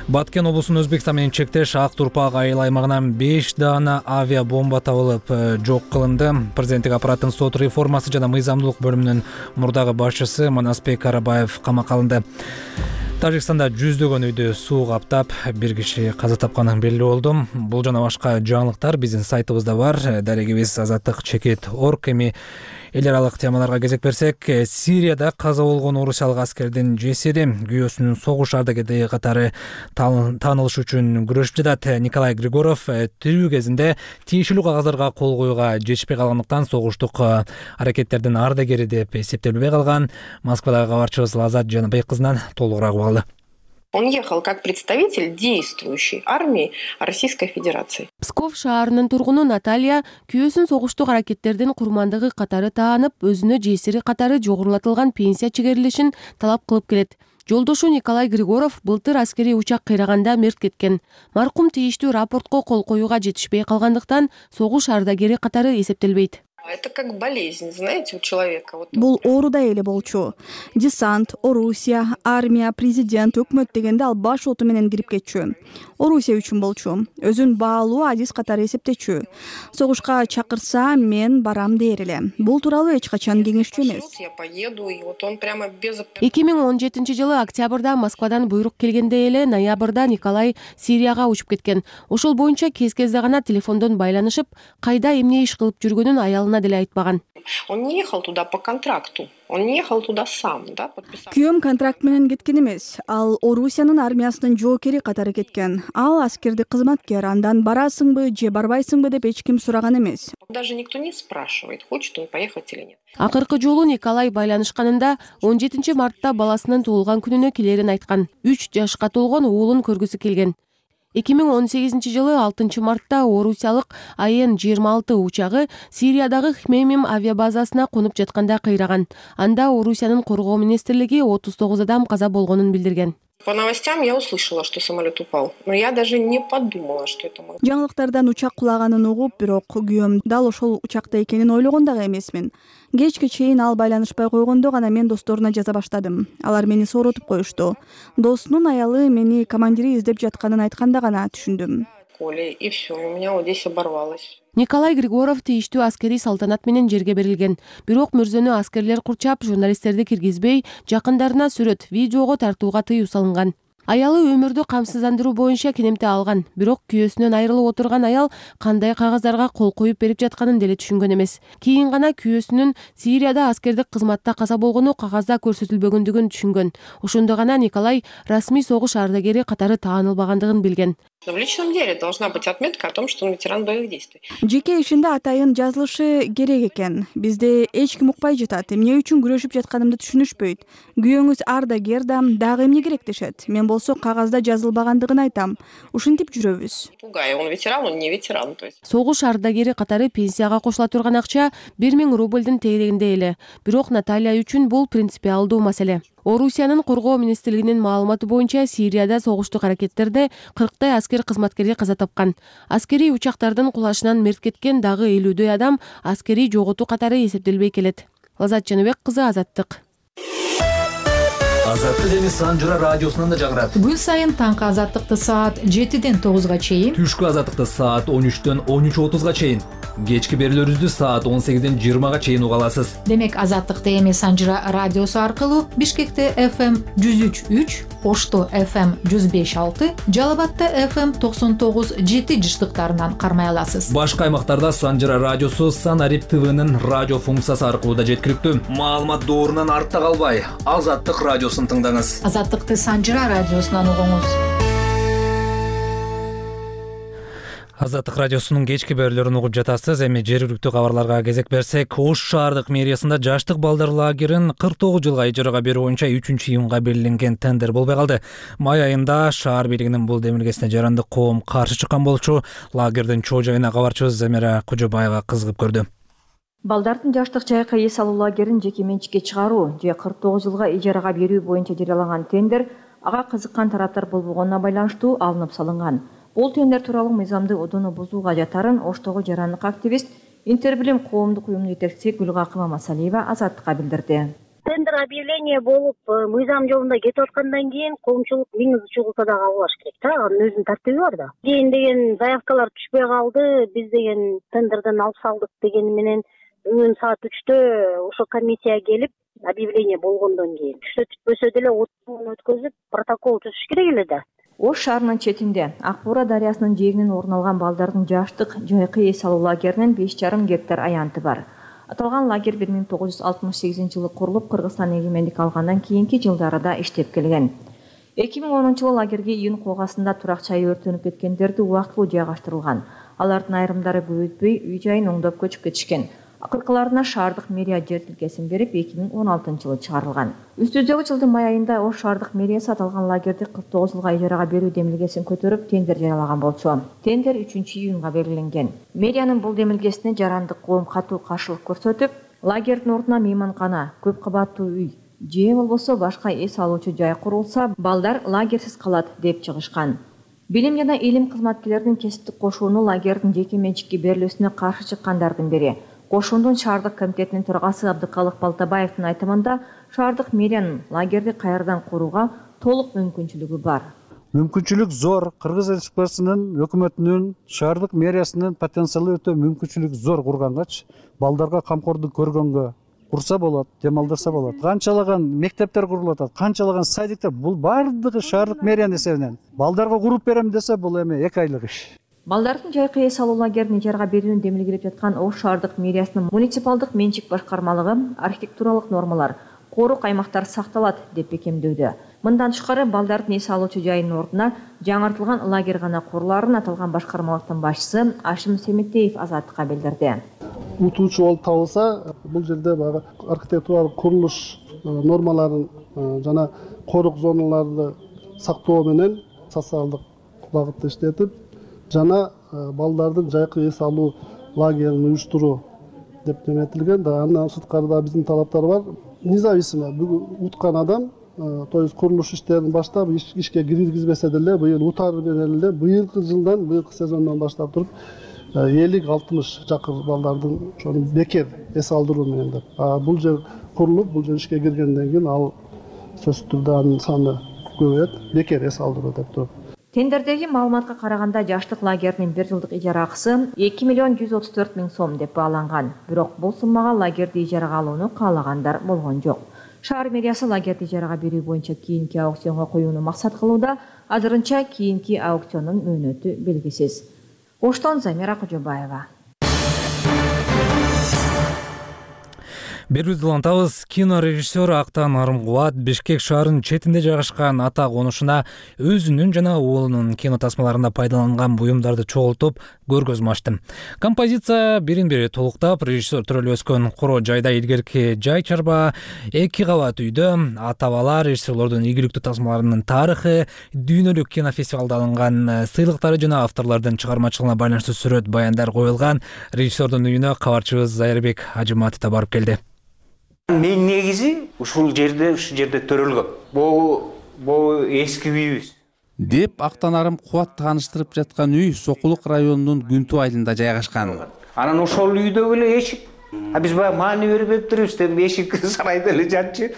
Баткен облусунун Өзбекстан менен чектеш Ак Турпак айыл аймагынан 5 даана авиа бомба табылып жок кылынды. Президенттик аппараттын сот реформасы жана мыйзамдуулук бөлүмүнүн мурдагы башчысы Манасбек Карабаев камакка алынды. Тажикстанда жүздөгөн үйдү суу каптап, бир киши каза тапканы белгилүү болду. Бул жана башка жаңылыктар биздин сайтыбызда бар. Дарегибиз azattik.org. Эми эл аралык темаларга кезек берсек, Сирияда каза болгон орусиялык аскердин жесири күйөөсүнүн согуш ардагери катары таанылыш үчүн күрөшүп жатат. Николай Григоров тирүү кезинде тиешелүү кагаздарга кол коюуга жетишпей калгандыктан согуштук аракеттердин ардагери деп эсептелбей калган. Москвадагы кабарчыбыз Лазат Жаныбек кызынан толугураак угалы. Он ехал как представитель действующей армии Российской Федерации. Псков шаарынын тургуну Наталья күйөөсүн согуштук аракеттердин курмандыгы катары таанып, өзүнө жесири катары жогорулатылган пенсия чегерилишин талап кылып келет. Жолдошу Николай Григоров былтыр аскерий учак кыйраганда мерт кеткен. Маркум тийиштүү рапортко кол коюуга жетишпей калгандыктан согуш ардагери катары эсептелбейт. Это как болезнь, знаете, у человека. Бул оорудай эле болчу. Десант, Орусия, армия, президент, өкмөт дегенде ал баш оту менен кирип кетчү. Орусия үчүн болчу. Өзүн баалуу адис катары эсептечү. Согушка чакырса мен барам дээр эле. Бул тууралуу эч качан кеңешчү эмес. Я поеду, и вот он прямо без... 2017-жылы октябрда Москвадан буйрук келгенде эле ноябрда Николай Сирияга учуп кеткен. Ошол боюнча кез-кезде гана телефондон байланышып, кайда эмне иш кылып жүргөнүн аялына деле айтпаган. Он не ехал туда по контракту. Он не ехал туда сам, да, подписал. Күйөөм контракт менен кеткен эмес. Ал Орусиянын армиясынын жоокери катары кеткен. Ал аскердик кызматкер. Андан барасыңбы же барбайсыңбы деп эч ким сураган эмес. Даже никто не спрашивает, хочет он поехать или нет. Акыркы жолу Николай байланышканында 17 мартта баласынын туулган күнүнө келерин айткан. 3 жашка толгон уулун көргүсү келген. 2018-жылы 6 мартта орусиялык АН-26 учагы Сириядагы Хмеймим авиабазасына конуп жатканда кыйраган. Анда Орусиянын коргоо министрлиги 39 адам каза болгонун билдирген. По новостям я услышала, что самолет упал, но я даже не подумала, что это мой. Жаңылыктардан учак кулаганын угуп, бирок күйөөм дал ошол учакта экенин ойлогон дагы эмесмин. Кечке чейин ал байланышпай койгондо гана мен досторуна жаза баштадым. Алар мени сооротуп коюшту. Досунун аялы мени командири издеп жатканын айтканда гана түшүндүм. И все, у меня вот здесь оборвалось. Николай Григоров тийиштүү аскерий салтанат менен жерге берилген. Бирок мөрзөнү аскерлер курчап, журналисттерди киргизбей, жакындарына сүрөт, видеого тартууга тыюу салынган. Аялы өмүрдү камсыздандыруу боюнча кенемте алган. Бирок күйөөсүнөн айрылып отурган аял кандай кагаздарга кол коюп берип жатканын деле түшүнгөн эмес. Кийин гана күйөөсүнүн Сирияда аскердик кызматта каза болгону кагазда көрсөтүлбөгөндүгүн түшүнгөн. Ошондо гана Николай расмий согуш ардагери катары таанылбагандыгын билген. Но в личном деле должна быть отметка о том, что он ветеран боевых действий. Жеке ишинде атайын жазылышы керек экен. Бизде эч ким укпай жатат. Эмне үчүн күрөшүп жатканымды түшүнүшпөйт. Күйөөңүз ардагер да, дагы эмне керек дешет. Мен болсо кагазда жазылбагандыгын айтам. Ушинтип жүрөбүз. Пугай, он ветеран, он не ветеран, то есть. Согуш ардагери катары пенсияга кошула турган акча 1000 рубльдин тегерегинде эле. Бирок Наталья үчүн бул принципиалдуу маселе. Орусиянын коргоо министрлигинин маалыматы боюнча Сирияда согуштук аракеттерде 40 аскер кызматкери каза тапкан. Аскерий учактардын кулашынан мерт кеткен дагы 50 адам аскерий жоготуу катары эсептелбей келет. Лазат Жаныбек кызы, Азаттык. Азаттык эми Санжыра радиосунан да жагырат. Күн сайын таңкы Азаттыкты саат 7-ден 9-га чейин, түшкү Азаттыкты саат 13-төн 13:30-га чейин, кечки берүүлөрүбүздү саат 18-ден 20-га чейин уга аласыз. Демек Азаттыкты эми Санжыра радиосу аркылуу Бишкекте FM 103.3, Ошто FM 105.6, Жалал Абадта FM 99.7 жыштыктарынан кармай аласыз. Башка аймактарда Санжыра радиосу Санарип ТВнын радио функциясы аркылуу да жеткиликтүү. Маалымат доорунан артта калбай, Азаттык радиосун тыңдаңыз. Азаттыкты Санжыра радиосунан угуңуз. Азаттык радиосунун кечки берүүлөрүн угуп жатасыз. Эми жергиликтүү кабарларга кезек берсек, Ош шаардык мэриясында жаштык балдар лагерин 49 жылга ижарага берүү боюнча 3-июнга белгиленген тендер болбой калды. Май айында шаар бийлигинин бул демилгесине жарандык коом каршы чыккан болчу. Лагердин чоо жайына кабарчыбыз Замира Кожобаева кызыгып көрдү. Балдардын жаштык жайкы эс алуу лагерин жеке менчикке чыгаруу же 49 жылга ижарага берүү боюнча жарыяланган тендер ага кызыккан тараптар болбогонуна байланыштуу алынып салынган. Бул тендер тууралуу мыйзамды одоно бузууга жатарын Оштогу жарандык активист, Интербилим коомдук уюмунун жетекчиси Гүлгакыма Масалиева Азаттыкка билдирди. Тендер объявление болуп, мыйзам жолунда кетип аткандан кийин коомчулук миңиз чогулса да кабыл алыш керек да, анын өзүнүн тартиби бар да. Кийин деген заявкалар түшпөй калды, биз деген тендерден алып салдык дегени менен бүгүн саат 3-тө ошо комиссия келип, объявление болгондон кийин түштө түтпөсө деле отун өткөзүп, протокол түзүш керек эле да. Ош шаарынын четинде Ак Буура дарыясынын жээгинен орун алган балдардын жаштык жайкы эс алуу лагеринин 5,5 гектар аянты бар. Аталган лагерь 1968 жылы курулуп, Кыргызстан эгемендик алгандан кийинки жылдарда иштеп келген. 2010 жылы лагерге июнь когасында турак чайы өртөнүп кеткендерди убактылуу жайгаштырылган. Алардын айрымдары көп өтпөй үй жайын оңдоп көчүп кетишкен. Акыркыларына шаардык мэрия жер тилкесин берип 2016 жылы чыгарылган. Үстүздөгү жылдын май айында Ош шаардык мэриясы аталган лагерди 49 жылга ижарага берүү демилгесин көтөрүп тендер жарыялаган болчу. Тендер 3-июнга белгиленген. Мэриянын бул демилгесине жарандык коом катуу каршылык көрсөтүп, лагердин ордуна мейманкана, көп кабаттуу үй, же болбосо башка эс алуучу жай курулса балдар лагерьсиз калат деп чыгышкан. Билим жана илим кызматкерлеринин кесиптик кошууну лагердин жеке менчикке берилүүсүнө каршы чыккандардын бири. Кошуундун шаардык комитетинин төрагасы Абдыкалык Балтабаевдин айтымында шаардык мэриянын лагерди кайрадан курууга толук мүмкүнчүлүгү бар. Мүмкүнчүлүк зор. Кыргыз Республикасынын өкмөтүнүн, шаардык мэриясынын потенциалы өтө мүмкүнчүлүк зор кургангач, балдарга камкордук көргөнгө курса болот, дем алдырса болот. Канчалаган мектептер курулуп атат, канчалаган садиктер, бул бардыгы шаардык мэриянын эсебинен. Балдарга куруп берем десе, бул эми 2 айлык иш. Балдардын жайкы эс алуу лагерин ижарага берүүнү демилгелеп жаткан Ош шаардык мэриясынын муниципалдык менчик башкармалыгы архитектуралык нормалар, корук аймактар сакталат деп бекемдөөдө. Мындан тышкары балдардын эс алуучу жайынын ордуна жаңыртылган лагерь гана куруларын аталган башкармалыктын башчысы Ашим Семетеев Азаттыкка билдирди. Утуучу болуп табылса, бул жерде баягы архитектуралык курулуш нормаларын жана корук зоналарды сактоо менен социалдык багытта иштетип, жана балдардын жайкы эс алуу лагерин уюштуруу деп неметилген да. Андан сырткары да биздин талаптар бар. Независимо уткан адам, то есть курулуш иштерин баштап ишке киргизбесе деле, быйыл утары менен эле быйылкы жылдан, быйылкы сезондон баштап туруп 50-60 жакыр балдардын ошону бекер эс алдыруу менен деп. Бул жер курулуп, бул жер ишке киргенден кийин ал сөзсүз түрдө анын саны көбөйөт, бекер эс алдыруу деп туруп. Тендердеги маалыматка караганда жаштык лагеринин 1 жылдык ижара акысы 2.134.000 сом деп бааланган. Бирок бул суммага лагерди ижарага алууну каалагандар болгон жок. Шаар мэриясы лагерди ижарага берүү боюнча кийинки аукционго коюуну максат кылууда. Азырынча кийинки аукциондун мөөнөтү белгисиз. Оштон Замира Кожобаева. Берүүбүздү улантабыз. Кинорежиссер Актан Арымкубат Бишкек шаарынын четинде жайгашкан ата конушуна өзүнүн жана уулунун кино тасмаларында пайдаланган буюмдарды чогултуп көргөзмө ачты. Композиция бирин-бири толуктап, режиссер төрөлүп өскөн куроо жайда илгерки жай чарба, 2 кабат үйдө ата-бала режиссерлордун ийгиликтүү тасмаларынын тарыхы, дүйнөлүк кинофестивалда алынган сыйлыктары жана авторлордун чыгармачылыгына байланыштуу сүрөт баяндар коюлган. Режиссердун үйүнө кабарчыбыз Зайырбек Ажыматов да барып келди. Мен негизи ушу жерде төрөлгөм. Бул эски үйүбүз. Деп Актан Арымкубат тааныштырып жаткан үй Сокулук районунун Күнтүү айылында жайгашкан. Анан ошол үйдө эле эшик. Биз баягы маани берип турубуз, деп эшик сарайда эле жатчы.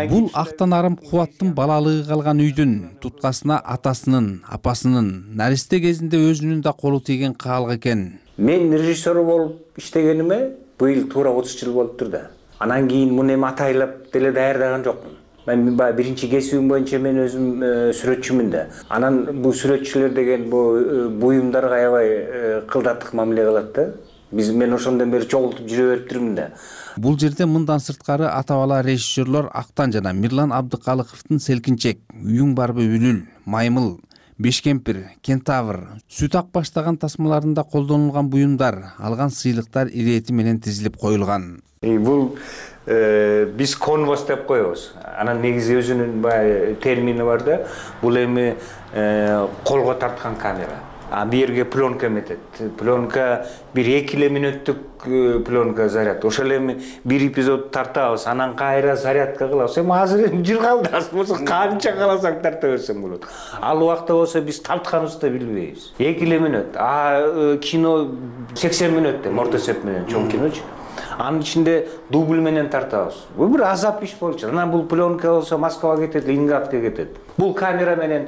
Бул Актан Арымкубаттын балалыгы калган үйдүн туткасына атасынын, апасынын наристе кезинде өзүнүн да колу тийген каалык экен. Мен режиссер болуп иштегениме быйыл туура 30 жыл болуптур да. Анан кийин муну эми атайлап деле даярдаган жокмун. Мен баягы биринчи кесибим боюнча мен өзүм сүрөтчүмүн да. Анан бул сүрөтчүлөр деген буюмдарга аябай кылдаттык мамиле кылат да. Мен ошондон бери чогултуп жүрө бериптирмин да. Бул жерде мындан сырткары ата-бала режиссерлор Актан жана Мирлан Абдыкалыковдун Селкинчек, Үйүң барбы Үлүл, Маймыл, Бешкемпир, Кентавр, Сүт ак баштаган тасмаларында колдонулган буюмдар, алган сыйлыктар ирети менен тизилип коюлган. Бул биз конвос деп коебуз. Анан негизи өзүнүн баягы термини бар да. Бул эми колго тарткан камера. Бу жерге пленка метет. Пленка 1-2 мүнөттүк пленка заряд. Ошол эми бир эпизод тартабыз, анан кайра зарядка кылабыз. Эми азыр жыргалдасыз болсо канча кааласаң тарта берсең болот. Ал убакта болсо биз тартканыбызды билбейбиз. 2 мүнөт. Кино 80 мүнөттө орто эсеп менен чоң киночу. Анын ичинде дубль менен тартабыз. Бул бир азап иш болчу. Анан бул пленка болсо Москвага кетет, Ленинградка кетет. Бул камера менен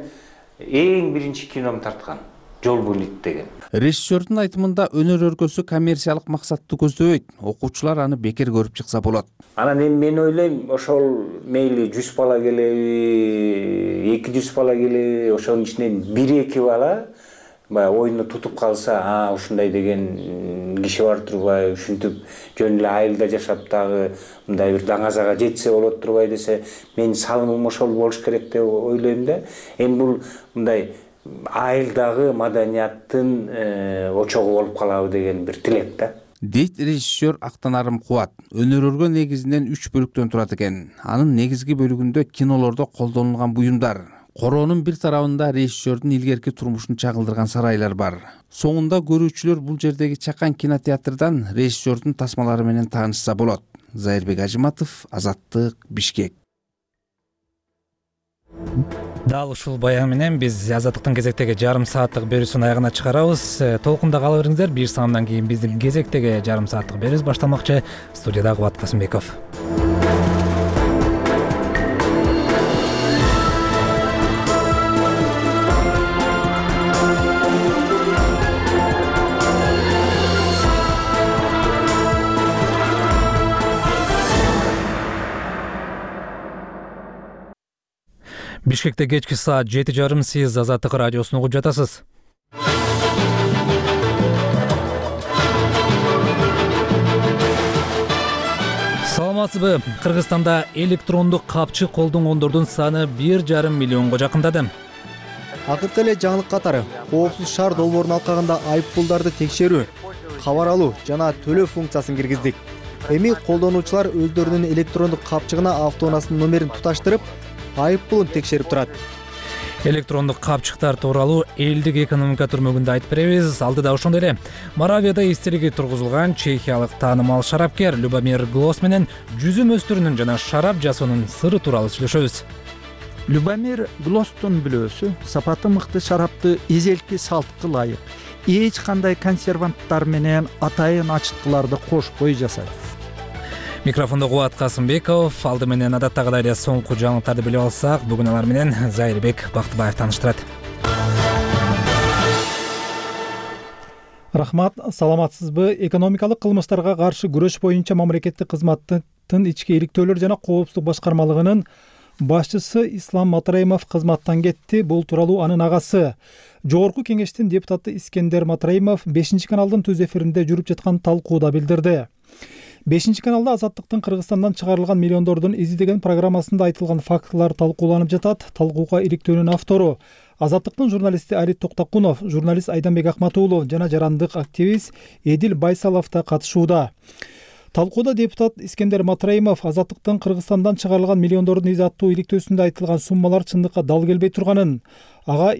эң биринчи кином тарткан. Жол булит деген. Режиссердун айтымында өнөр өргөсү коммерциялык максатты көздөбөйт. Окуучулар аны бекер көрүп чыкса болот. Анан эми мен ойлойм, ошол мейли 100 бала келеби, 200 бала келеби, ошонун ичинен 1-2 бала баягы оюну тутуп калса, ушундай деген киши бар турбай, ушинтип жөн эле айылда жашап дагы мындай бир даңазага жетсе болот турбай десе, менин салымым ошол болуш керек деп ойлойм да. Эми бул мындай айылдагы маданияттын очогу болуп калабы деген бир тилек да. Дейт режиссер Актан Арымкубат. Өнөр өргө негизинен 3 бөлүктөн турат экен. Анын негизги бөлүгүндө кинолордо колдонулган буюмдар, короонун бир тарабында режиссердун илгерки турмушун чагылдырган сарайлар бар. Соңунда көрүүчүлөр бул жердеги чакан кинотеатрдан режиссердун тасмалары менен таанышса болот. Зайырбек Ажыматов, Азаттык, Бишкек. Дал ушул баян менен биз Азаттыктын кезектеги жарым сааттык берүүсүн аягына чыгарабыз. Толкунда кала бериңиздер. Бир саамдан кийин биздин кезектеги жарым сааттык берүүбүз башталмакчы. Студияда Кубат Касымбеков. Бишкекте кечки саат 7:30 сиз Азаттык радиосун угуп жатасыз. Саламатсызбы? Кыргызстанда электрондук капчы колдонгондордун саны 1,5 миллионго жакындады. Акыркы эле жаңылык катары коопсуз шаар долбоорун алкаганда айыппулдарды текшерүү, кабар алуу жана төлөө функциясын киргиздик. Эми колдонуучулар өздөрүнүн электрондук капчыгына автоунаасынын номерин туташтырып, айыппулун текшерип турат. Электрондук капчыктар тууралуу элдик экономика түрмөгүндө айтып беребиз. Алдыда ошондой эле Моравияда эстелиги тургузулган чехиялык таанымал шарапкер Любомир Глос менен жүзүм өстүрүүнүн жана шарап жасоонун сыры тууралуу сүйлөшөбүз. Любомир Глостун бүлөөсү сапаты мыкты шарапты эзелки салтка ылайык эч кандай консерванттар менен атайын ачыткыларды кошпой жасайт. Микрофондо Кубат Касымбеков. Алды менен адаттагыдай эле соңку жаңылыктарды билип алсак, бүгүн алар менен Зайырбек Бактыбаев тааныштырат. Рахмат, саламатсызбы? Экономикалык кылмыштарга каршы күрөш боюнча мамлекеттик кызматтын ички иликтөөлөр жана коопсуздук башкармалыгынын башчысы Ислам Матраимов кызматтан кетти. Бул тууралуу анын агасы Жогорку кеңештин депутаты Искендер Матраимов 5 каналдын түз эфиринде жүрүп жаткан талкууда билдирди. 5 каналда Азаттыктын Кыргызстандан чыгарылган миллиондордун изи деген программасында айтылган фактылар талкууланып жатат. Талкууга иликтөөнүн автору Азаттыктын журналисти Али Токтакунов, журналист Айданбек Акматуулов жана жарандык активист Эдил Байсалов да катышууда. Талкууда депутат Искендер Матраимов Азаттыктын Кыргызстандан чыгарылган миллиондордун изи аттуу иликтөөсүндө айтылган суммалар чындыкка дал келбей турганын, ага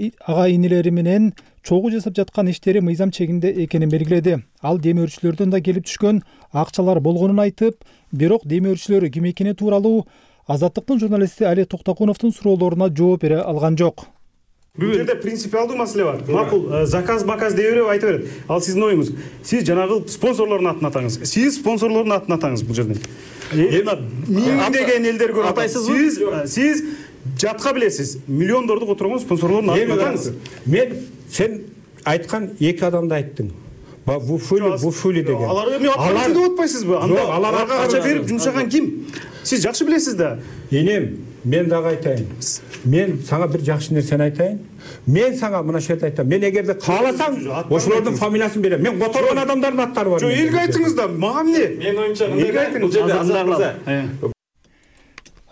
инилери менен чогуу жасап жаткан иштери мыйзам чегинде экенин белгиледи. Ал демөөрчүлөрдөн да келип түшкөн акчалар болгонун айтып, бирок демөөрчүлөр ким экени тууралуу Азаттыктын журналисти Али Токтакуновдун суроолоруна жооп бере алган жок. Бул жерде принципиалдуу маселе бар. Макул заказ дей берип айта берет. Ал сиздин оюңуз. Сиз жанагы спонсорлордун атын атаңыз. Сиз спонсорлордун атын атаңыз бул жерден. Миңдеген элдер көрүп атасызбы? Сиз жатка билесиз. Миллиондорду которгон спонсорлордун атын атаңыз. Мен сен айткан эки адамды айттың. Буфули деген. Алар эми атаңызды деп атпайсызбы? Аларга акча берип жумшаган ким? Сиз жакшы билесиз да. Энем, мен дагы айтайын. Мен сага бир жакшы нерсени айтайын. Мен сага мына жерде айтам. Мен эгерде кааласаң, ошолордун фамилиясын берем. Мен которгон адамдардын аттары бар. Жок, элге айтыңыз да, мага эмне? Мен оюмча элге айтыңыз. Бул жерде андарлар.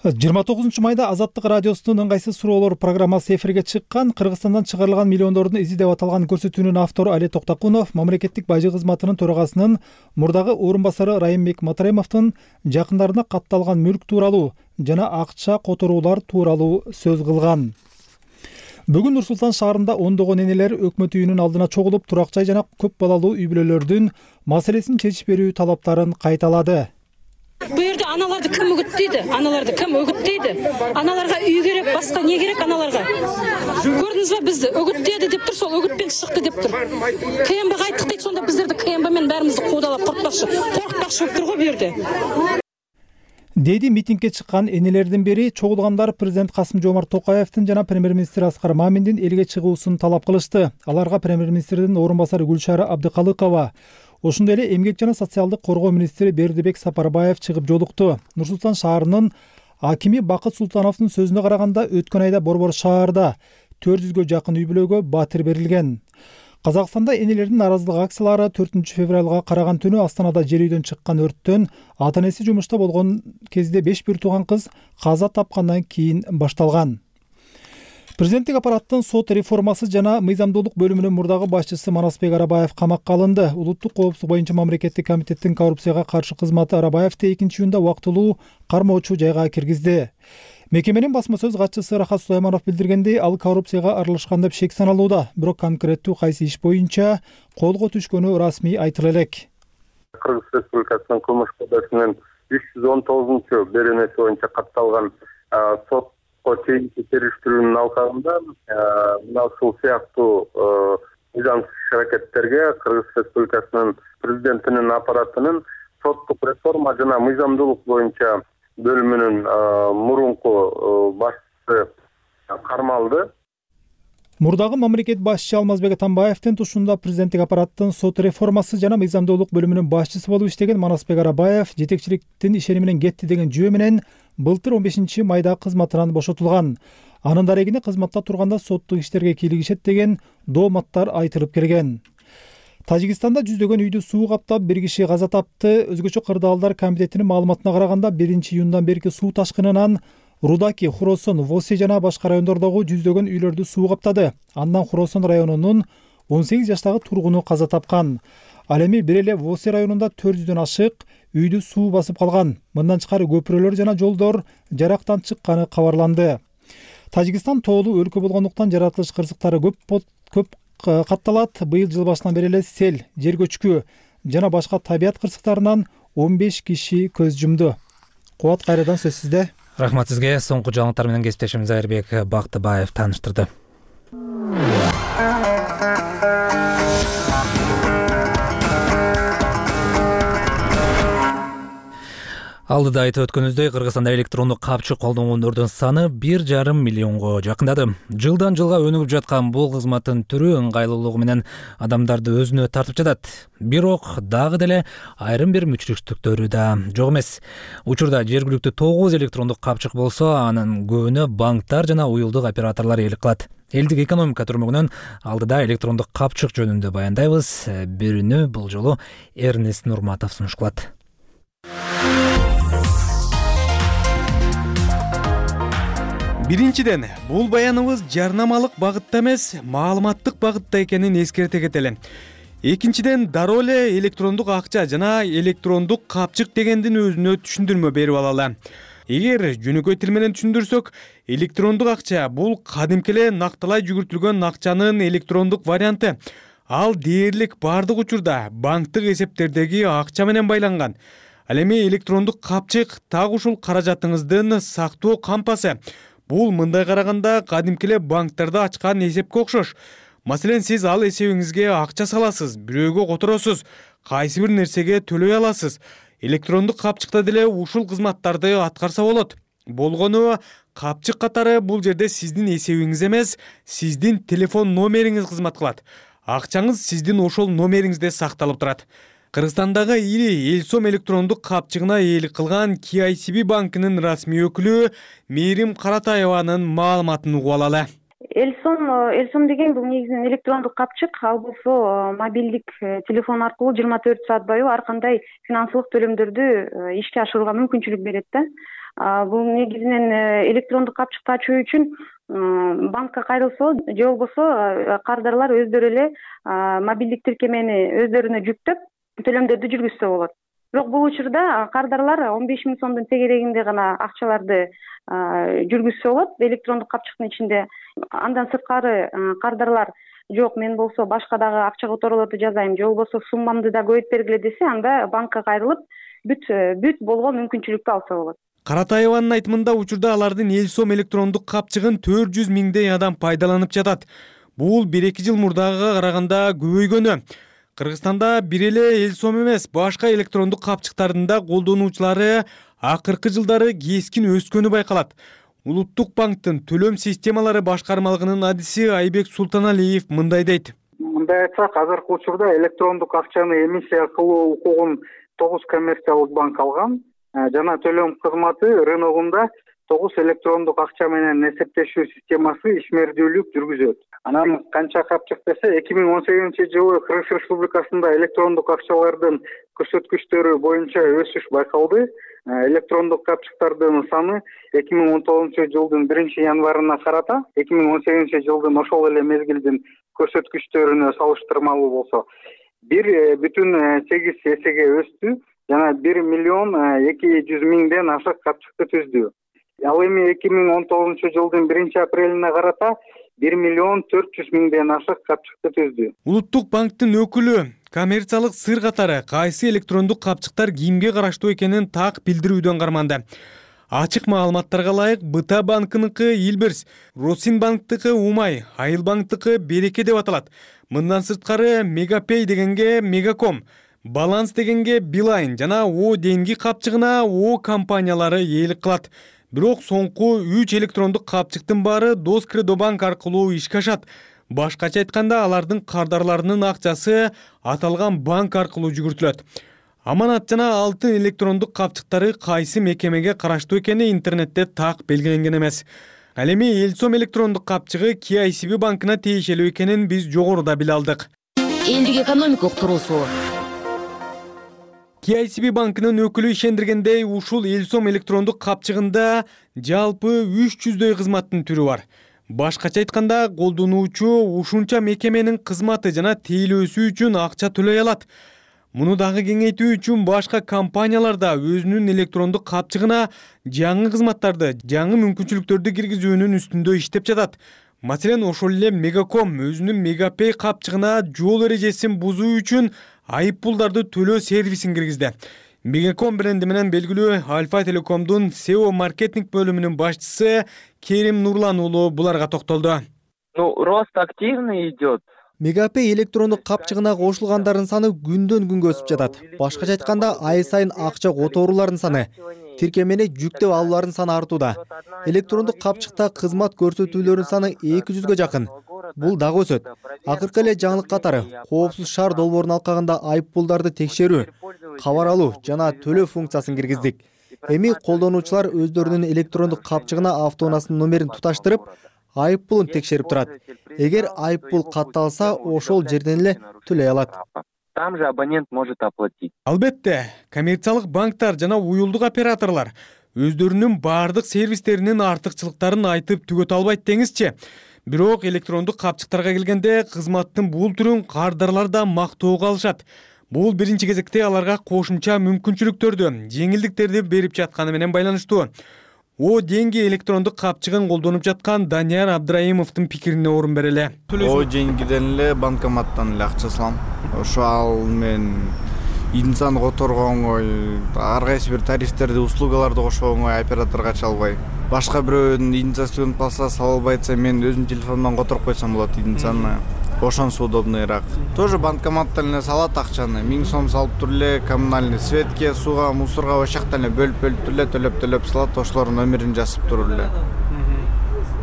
29 майда Азаттык радиосунун ыңгайсыз суроолор программасы эфирге чыккан. Кыргызстандан чыгарылган миллиондордун изи деп аталган көрсөтүүнүн автору Али Токтакунов мамлекеттик бажы кызматынын төрагасынын мурдагы орун басары Райымбек Матраимовдун жакындарына катталган мүлк тууралуу жана акча которуулар тууралуу сөз кылган. Бүгүн Нур-Султан шаарында ондогон энелер өкмөт үйүнүн алдына чогулуп, турак жай жана көп балалуу үй бүлөлөрдүн маселесин чечип берүү талаптарын кайталады. Бу жерде аналарды ким үгүттөйдү? Аналарды ким үгүттөйдү? Аналарга үй керек, башка не керек аналарга? Көрдүңүзбү бизди үгүттөйдү деп тур, сол үгүтпен чыкты деп тур. КМБга айттык дейт, сонда биздерди КМБ менен баарыбызды куудалап коркпакчы болуп тур го бу жерде. Деди митингге чыккан энелердин бири чогулгандар президент Касым-Жомарт Токаевдин жана премьер-министр Аскар Маминдин элге чыгуусун талап кылышты. Аларга премьер-министрдин орун басары Гүлшара Абдыкалыкова, ошондой эле эмгек жана социалдык коргоо министри Бердибек Сапарбаев чыгып жолукту. Нур-Султан шаарынын акими Бакыт Султановдун сөзүнө караганда, өткөн айда Борбор шаарда 400гө жакын үй бүлөгө батир берилген. Казакстанда энелердин нааразылык акциялары 4 февралга караган түнү Астанада жер үйдөн чыккан өрттөн ата-энеси жумушта болгон кезде 5 бир тууган кыз каза тапкандан кийин башталган. Президенттик аппараттын сот реформасы жана мыйзамдуулук бөлүмүнүн мурдагы башчысы Манасбек Арабаев камакка алынды. Улуттук коопсуздук боюнча мамлекеттик комитеттин коррупцияга каршы кызматы Арабаевди 2-июнда убактылуу кармоочу жайга киргизди. Мекеменин басма сөз катчысы Рахат Сулайманов билдиргендей, ал коррупцияга аралашкан деп шек саналууда. Бирок конкреттүү кайсы иш боюнча колго түшкөнү расмий айтыла элек. Кыргыз Республикасынын кылмыш кодексинин 319 беренеси боюнча катталган сот сотко чейинки териштирүүнүн алкагында мына ушул сыяктуу мыйзамсыз иш-аракеттерге Кыргыз Республикасынын президентинин аппаратынын соттук реформа жана мыйзамдуулук боюнча бөлүмүнүн мурунку башчысы кармалды. Мурдагы мамлекет башчы Алмазбек Атамбаевдин тушунда президенттик аппараттын сот реформасы жана мыйзамдуулук бөлүмүнүн башчысы болуп иштеген Манасбек Арабаев жетекчиликтин ишени менен кетти деген жөө менен былтыр 15 майда кызматынан бошотулган. Анын дарегине кызматта турганда соттук иштерге кийлигишет деген дооматтар айтылып келген. Тажикстанда жүздөгөн үйдү суу каптап, бир киши каза тапты. Өзгөчө кырдаалдар комитетинин маалыматына караганда 1-июндан берки суу ташкынынан Рудаки, Хуросон, Воси жана башка райондордогу жүздөгөн үйлөрдү суу каптады. Андан Хуросон районунун 18 жаштагы тургуну каза тапкан. Ал эми бир эле Воси районунда 400дөн ашык үйдү суу басып калган. Мындан тышкары көпүрөлөр жана жолдор жарактан чыкканы кабарланды. Тажикстан тоолуу өлкө болгондуктан жаратылыш кырсыктары көп катталат. Быйыл жыл башынан бери эле сел, жер көчкү жана башка табият кырсыктарынан 15 киши көз жумду. Кубат, кайрадан сөз сизде. Рахмат сизге. Соңку жаңылыктар менен кесиптешим Айырбек Бактыбаев тааныштырды. Алдыда айтып өткөнүбүздөй, Кыргызстанда электрондук капчык колдонгондордун саны 1,5 миллионго жакындады. Жылдан жылга өнүгүп жаткан бул кызматтын түрү ыңгайлуулугу менен адамдарды өзүнө тартып жатат. Бирок дагы деле айрым бир мүчүлүктүктөрү да жок эмес. Учурда жергиликтүү 9 электрондук капчык болсо, анын көбүнө банктар жана уюлдук операторлор ээлик кылат. Элдик экономика түрмөгүнөн алдыда электрондук капчык жөнүндө баяндайбыз. Бирүнү бул жолу Эрнест Нурматов сунуш кылат. Биринчиден, бул баяныбыз жарнамалык багытта эмес, маалыматтык багытта экенин эскерте кетели. Экинчиден, дароо эле электрондук акча жана электрондук капчык дегендин өзүнө түшүндүрмө берип алалы. Эгер жөнөкөй тил менен түшүндүрсөк, электрондук акча бул кадимки эле накталай жүгүртүлгөн акчанын электрондук варианты. Ал дээрлик бардык учурда банктык эсептердеги акча менен байланган. Ал эми электрондук капчык так ушул каражатыңыздын сактоо кампасы. Бул мындай караганда кадимки эле банктарда ачкан эсепке окшош. Маселен, сиз ал эсебиңизге акча саласыз, бирөөгө которосуз, кайсы бир нерсеге төлөй аласыз. Электрондук капчыкта деле ушул кызматтарды аткарса болот. Болгону капчык катары бул жерде сиздин эсебиңиз эмес, сиздин телефон номериңиз кызмат кылат. Акчаңыз сиздин ошол номериңизде сакталып турат. Кыргызстандагы ири Элсом электрондук капчыгына ээлик кылган KICB банкынын расмий өкүлү Мээрим Каратаеванын маалыматын угуп алалы. Элсом деген бул негизинен электрондук капчык. Ал болсо мобилдик телефон аркылуу 24 саат бою ар кандай финансылык төлөмдөрдү ишке ашырууга мүмкүнчүлүк берет да. Бул негизинен электрондук капчыкты ачуу үчүн банкка кайрылса же болбосо кардарлар өздөрү эле мобилдик тиркемени өздөрүнө жүктөп төлөмдөрдү жүргүзсө болот. Бирок бул учурда кардарлар 15 000 сомдун тегерегинде гана акчаларды жүргүзсө болот электрондук капчыктын ичинде. Андан сырткары кардарлар жок, мен болсо башка дагы акча которуулорду жазайм, же болбосо суммамды да көбөйт бергиле десе, анда банкка кайрылып бүт болгон мүмкүнчүлүктү алса болот. Каратаеванын айтымында учурда алардын Элсом электрондук капчыгын 400 миңдей адам пайдаланып жатат. Бул 1-2 жыл мурдагыга караганда көбөйгөнү. Кыргызстанда бир эле Элсом эмес, башка электрондук капчыктардын да колдонуучулары акыркы жылдары кескин өскөнү байкалат. Улуттук банктын төлөм системалары башкармалыгынын адиси Айбек Султаналиев мындай дейт. Мындай айтсак, азыркы учурда электрондук акчаны эмиссия кылуу укугун 9 коммерциялык банк алган. Жана төлөм кызматы рыногунда 9 электрондук акча менен эсептешүү системасы ишмердүүлүк жүргүзөт. Анан канча капчык десе, 2018-жылы Кыргыз Республикасында электрондук акчалардын көрсөткүчтөрү боюнча өсүш байкалды. Электрондук капчыктардын саны 2019-жылдын 1-январына карата 2018-жылдын ошол эле мезгилдин көрсөткүчтөрүнө салыштырмалуу болсо 1,8 эсеге өстү жана 1 миллион 200 миңден ашык капчыкты түздү. Ал эми 2019-жылдын 1-апрелине карата 1 миллион 400 миңден ашык капчыкты түздү. Улуттук банктын өкүлү коммерциялык сыр катары кайсы электрондук капчыктар кимге караштуу экенин так билдирүүдөн карманды. Ачык маалыматтарга ылайык БТА банкыныкы Илбирс, Росинбанктыкы Умай, Айылбанктыкы Береке деп аталат. Мындан сырткары Мегапей дегенге Мегаком, Баланс дегенге Билайн жана О денги капчыгына О компаниялары ээлик кылат. Бирок соңку 3 электрондук капчыктын баары Доскредобанк аркылуу ишке ашат. Башкача айтканда алардын кардарларынын акчасы аталган банк аркылуу жүгүртүлөт. Аманат жана алтын электрондук капчыктары кайсы мекемеге караштуу экени интернетте так белгиленген эмес. Ал эми Элсом электрондук капчыгы KICB банкына тиешелүү экенин биз жогоруда биле алдык. Элдик экономикалык тургусу. KICB банкынын өкүлү ишендиргендей, ушул Элсом электрондук капчыгында жалпы 300дөй кызматтын түрү бар. Башкача айтканда, колдонуучу ушунча мекеменин кызматы жана тейлөөсү үчүн акча төлөй алат. Муну дагы кеңейтүү үчүн башка компаниялар да өзүнүн электрондук капчыгына жаңы кызматтарды, жаңы мүмкүнчүлүктөрдү киргизүүнүн үстүндө иштеп жатат. Маселен, ошол эле Мегаком өзүнүн Мегапей капчыгына жол эрежесин бузуу үчүн айып пулдарды төлөө сервисин киргизди. Мегаком бренди менен белгилүү Альфа Телекомдун SEO маркетинг бөлүмүнүн башчысы Керим Нурлан уулу буларга токтолду. Рост активный идет. Мегапей электрондук капчыгына кошулгандардын саны күндөн күнгө өсүп жатат. Башкача айтканда, ай сайын акча которуулардын саны, тиркемени жүктөп алуулардын саны артууда. Электрондук капчыкта кызмат көрсөтүүлөрдүн саны 200ге жакын. Бул дагы өсөт. Акыркы эле жаңылык катары коопсуз шаар долбоорун алкагында айып пулдарды текшерүү, кабар алуу жана төлөө функциясын киргиздик. Эми колдонуучулар өздөрүнүн электрондук капчыгына автоунаасынын номерин туташтырып, айып пулун текшерип турат. Эгер айып пул катталса, ошол жерден эле төлөй алат. Там же абонент может оплатить. Албетте, коммерциялык банктар жана уюлдук операторлор өздөрүнүн баардык сервистеринин артыкчылыктарын айтып түгөтө албайт деңизчи. Бирок электрондук капчыктарга келгенде кызматтын бул түрүн кардарлар да мактоого алышат. Бул биринчи кезекте аларга кошумча мүмкүнчүлүктөрдү, жеңилдиктерди берип жатканы менен байланыштуу. О деньги электрондук капчыгын колдонуп жаткан Данияр Абдраимовдун пикирине орун берели. О деньгиден эле банкоматтан эле акча салам. Ошо ал мен инсан которго оңой, ар кайсы бир тарифтерди, услугаларды кошо оңой операторго ача албай. Башка бирөөнүн идентификациясын палса сала албайса, мен өзүм телефондон которуп койсом болот идентификацияны. Ошонсу удобныйраак. Тоже банкоматтан эле салат акчаны, 1000 сом салып туруп эле коммунальный светке, сууга, мусорго ошоктан эле бөлүп туруп эле төлөп салат, ошолордун номерин жазып туруп эле.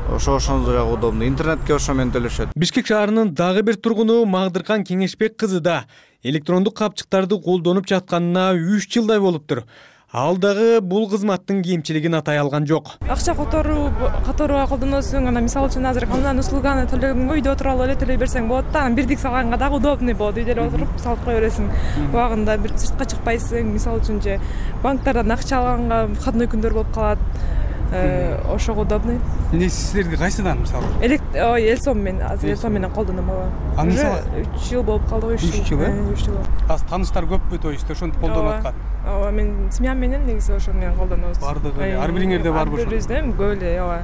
Ошондой жагы удобный. Интернетке ошо менен төлөшөт. Бишкек шаарынын дагы бир тургуну Магдыркан Кеңешбек кызы да электрондук капчыктарды колдонуп жатканына 3 жылдай болуптур. Ал дагы бул кызматтын кемчилигин атай алган жок. Акча которууга колдоносуң, мисалы үчүн азыр коммуналдык услуганы төлөгөнгө үйдө отуруп алып эле төлөй берсең болот да. Бирдик салганга дагы удобный болот. Үйдө эле отуруп салып кое бересиң. Убагында бир сыртка чыкпайсың. Мисалы үчүн же банктардан акча алганга входной күндөр болуп калат. Ошого удобный. Силерге кайсыдан мисалы? Элсом менен колдоном ала. Мисалы 3 жыл болуп калды, 3 жыл. 3 жыл. Азыр тааныштар көппү, то есть ошентип колдонуп аткан. Ооба, мен семьям менен негизи ошо менен колдонобуз. Бардыгы ар бириңерде барбы ошо? Бирибизде көп эле, ооба.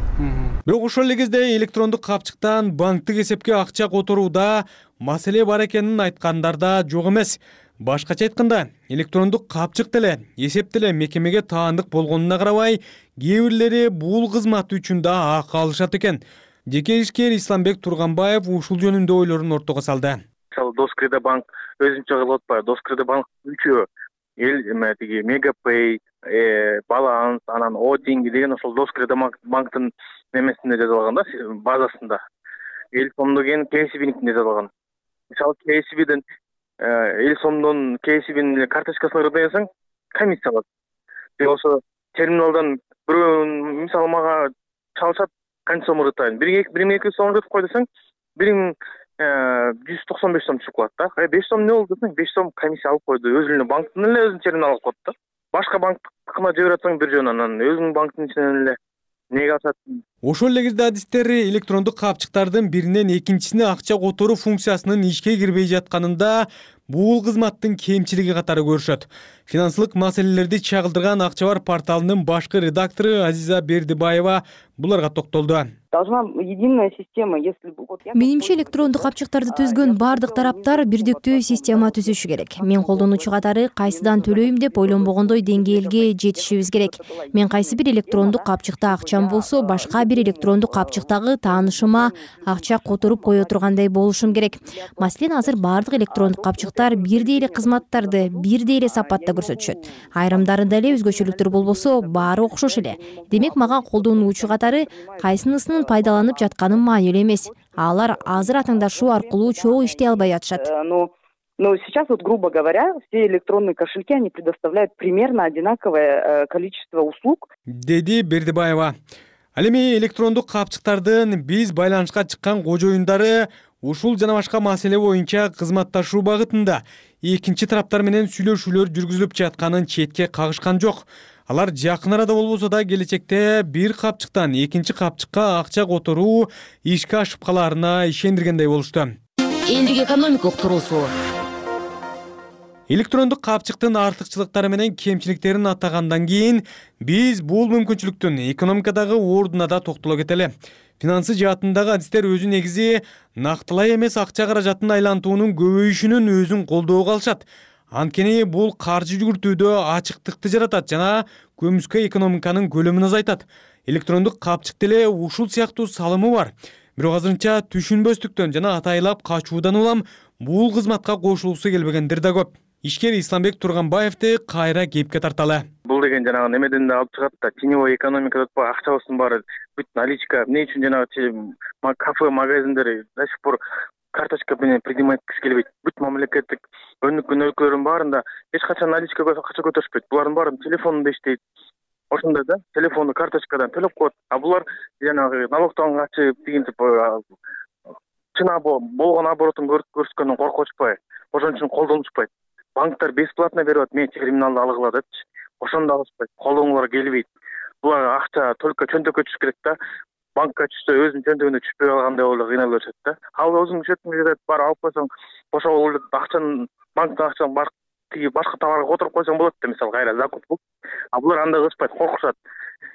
Бирок ошол эле кезде электрондук капчыктан банктык эсепке акча которууда маселе бар экенин айткандар да жок эмес. Башкача айтканда, электрондук капчык деле, эсеп деле мекемеге таандык болгонуна карабай, кээ бирлери бул кызмат үчүн да акы алышат экен. Жеке ишкер Исламбек Турганбаев ушул жөнүндө ойлорун ортого салды. Мисалы Доскредобанк өзүнчө кылып атпайбы? Доскредобанк үчөө тиги Мегапей, Баланс, анан О деньги деген ошол Доскредобанктын немесинде жазылган да, базасында. Элсомдо кен KICB'никинде жазылган. Мисалы KICB'ден Элсомдон KICB'нин карточкасына кырдайсаң, комиссия алат. Ошо терминалдан бирөө мисалы мага чалышат, канча сом ырытайын. 1200 сом ырытып кой десең, 1195 сом түшүп калат да. 5 сом не болду десең, 5 сом комиссия алып койду. Өзүнүн банктын эле өзүнүн терминалын коет да. Башка банктыкына жиберип атсаң бир жөн, анан өзүнүн банктын ичинен эле неге алышат. Ошол эле кезде адистер электрондук капчыктардын биринен экинчисине акча которуу функциясынын ишке кирбей жатканында бул кызматтын кемчилиги катары көрүшөт. Финансылык маселелерди чагылдырган Акча бар порталынын башкы редактору Азиза Бердибаева буларга токтолду. Должна единая система, если Менимче электрондук капчыктарды түзгөн бардык тараптар бирдиктүү система түзүшү керек. Мен колдонуучу катары кайсыдан төлөйм деп ойлонбогондой деңгээлге жетишибиз керек. Мен кайсы бир электрондук капчыкта акчам болсо, башка бир электрондук капчыктагы таанышыма акча которуп кое тургандай болушум керек. Маселен, азыр бардык электрондук капчыктар бирдей эле кызматтарды бирдей эле сапатта көрсөтүшөт. Айрымдарында эле өзгөчөлүктөр болбосо, баары окшош эле. Демек, мага колдонуучу катары кайсынысынын пайдаланып жатканым маанилүү эмес. Алар азыр атаңдашуу аркылуу чогуу иштей албай жатышат. Но сейчас, грубо говоря, все электронные кошельки, они предоставляют примерно одинаковое количество услуг. Деди Бердибаева. Ал эми электрондук капчыктардын биз байланышка чыккан кожоюндары ушул жана башка маселе боюнча кызматташуу багытында экинчи тараптар менен сүйлөшүүлөр жүргүзүлүп жатканын четке кагышкан жок. Алар жакын арада болбосо да келечекте бир капчыктан экинчи капчыкка акча которуу ишке ашып калаарына ишендиргендей болушту. Элдик экономикалык туруусу. Электрондук капчыктын артыкчылыктары менен кемчиликтерин атагандан кийин биз бул мүмкүнчүлүктүн экономикадагы ордуна да токтоло кетели. Финансы жаатындагы адистер өзү негизи нактылай эмес акча каражатын айлантуунун көбөйүшүнүн өзүн колдоого алышат. Анткени бул каржы жүгүртүүдө ачыктыкты жаратат жана көмүскө экономиканын көлөмүн азайтат. Электрондук капчык деле ушул сыяктуу салымы бар. Бирок азырынча түшүнбөстүктөн жана атайлап качуудан улам бул кызматка кошулгусу келбегендер да көп. Ишкер Исламбек Турганбаевди кайра кепке тарталы. Бул деген жанагы немеден да алып чыгат да, теневой экономика деп акчабыздын баары бүт наличка, эмне үчүн жанагы кафе, магазиндер до сих пор карточка менен предпринимать келбейт. Бүт мамлекеттик өнүккөн өлкөлөрдүн баарында эч качан наличка акча көтөрүшпөйт. Булардын баары телефонунда иштейт. Ошондой да, телефонду карточкадан төлөп коет. А булар жанагы налогтон качып дегентип чын болгон оборотун көрсөткөндөн коркучпай, ошон үчүн колдонушпайт. Банктар бесплатно берип атат, мен терминалды алгыла депчи. Ошондо алышпайт, колдонулар келбейт. Булар акча только чөнтөккө түшүш керек да. Банкка түшсө өзүнүн чөнтөгүнө түшпөй калгандай болуп кыйналып өтөт да. Ал өзүң счетиңде бар алып койсоң, ошол акчаны банктан акчаны башка товарга которуп койсоң болот да, мисалы кайра закуп кылып. А булар андай кылышпайт, коркушат.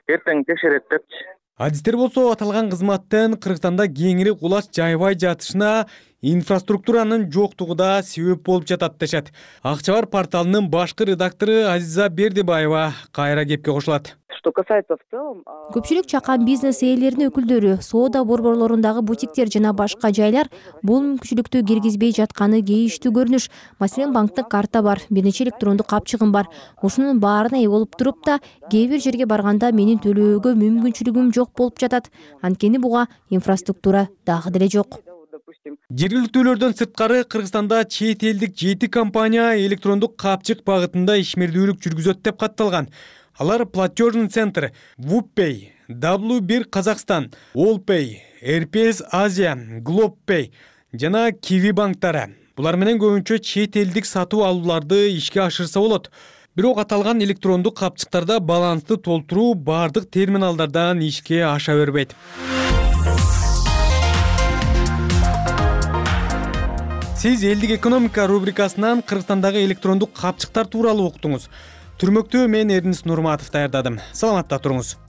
Эртең текшерет депчи. Адистер болсо аталган кызматтын Кыргызстанда кеңири кулач жайбай жатышына инфраструктуранын жоктугу да себеп болуп жатат дешет. Акча бар порталынын башкы редактору Азиза Бердибаева кайра кепке кошулат. Что касается в целом, көпчүлүк чакан бизнес ээлеринин өкүлдөрү, соода борборлорундагы бутиктер жана башка жайлар бул мүмкүнчүлүктү киргизбей жатканы кейиштүү көрүнүш. Маселен, банктык карта бар, бир нече электрондук капчыгым бар. Ушунун баарына ээ болуп туруп да, кээ бир жерге барганда менин төлөөгө мүмкүнчүлүгүм жок болуп жатат. Анткени буга инфраструктура дагы деле жок. Жергиликтүүлөрдөн сырткары Кыргызстанда чет элдик 7 компания электрондук капчык багытында ишмердүүлүк жүргүзөт деп катталган. Алар Платежный центр, WoodPay, W1 Казакстан, Allpay, RPS Азия, GlobePay жана Kiwi банктары. Булар менен көбүнчө чет элдик сатуу алууларды ишке ашырса болот. Бирок аталган электрондук капчыктарда балансты толтуруу бардык терминалдардан ишке аша бербейт. Сиз элдик экономика рубрикасынан Кыргызстандагы электрондук капчыктар тууралуу уктуңуз. Түрмөктү мен Эрнис Нурматов даярдадым. Саламатта туруңуз.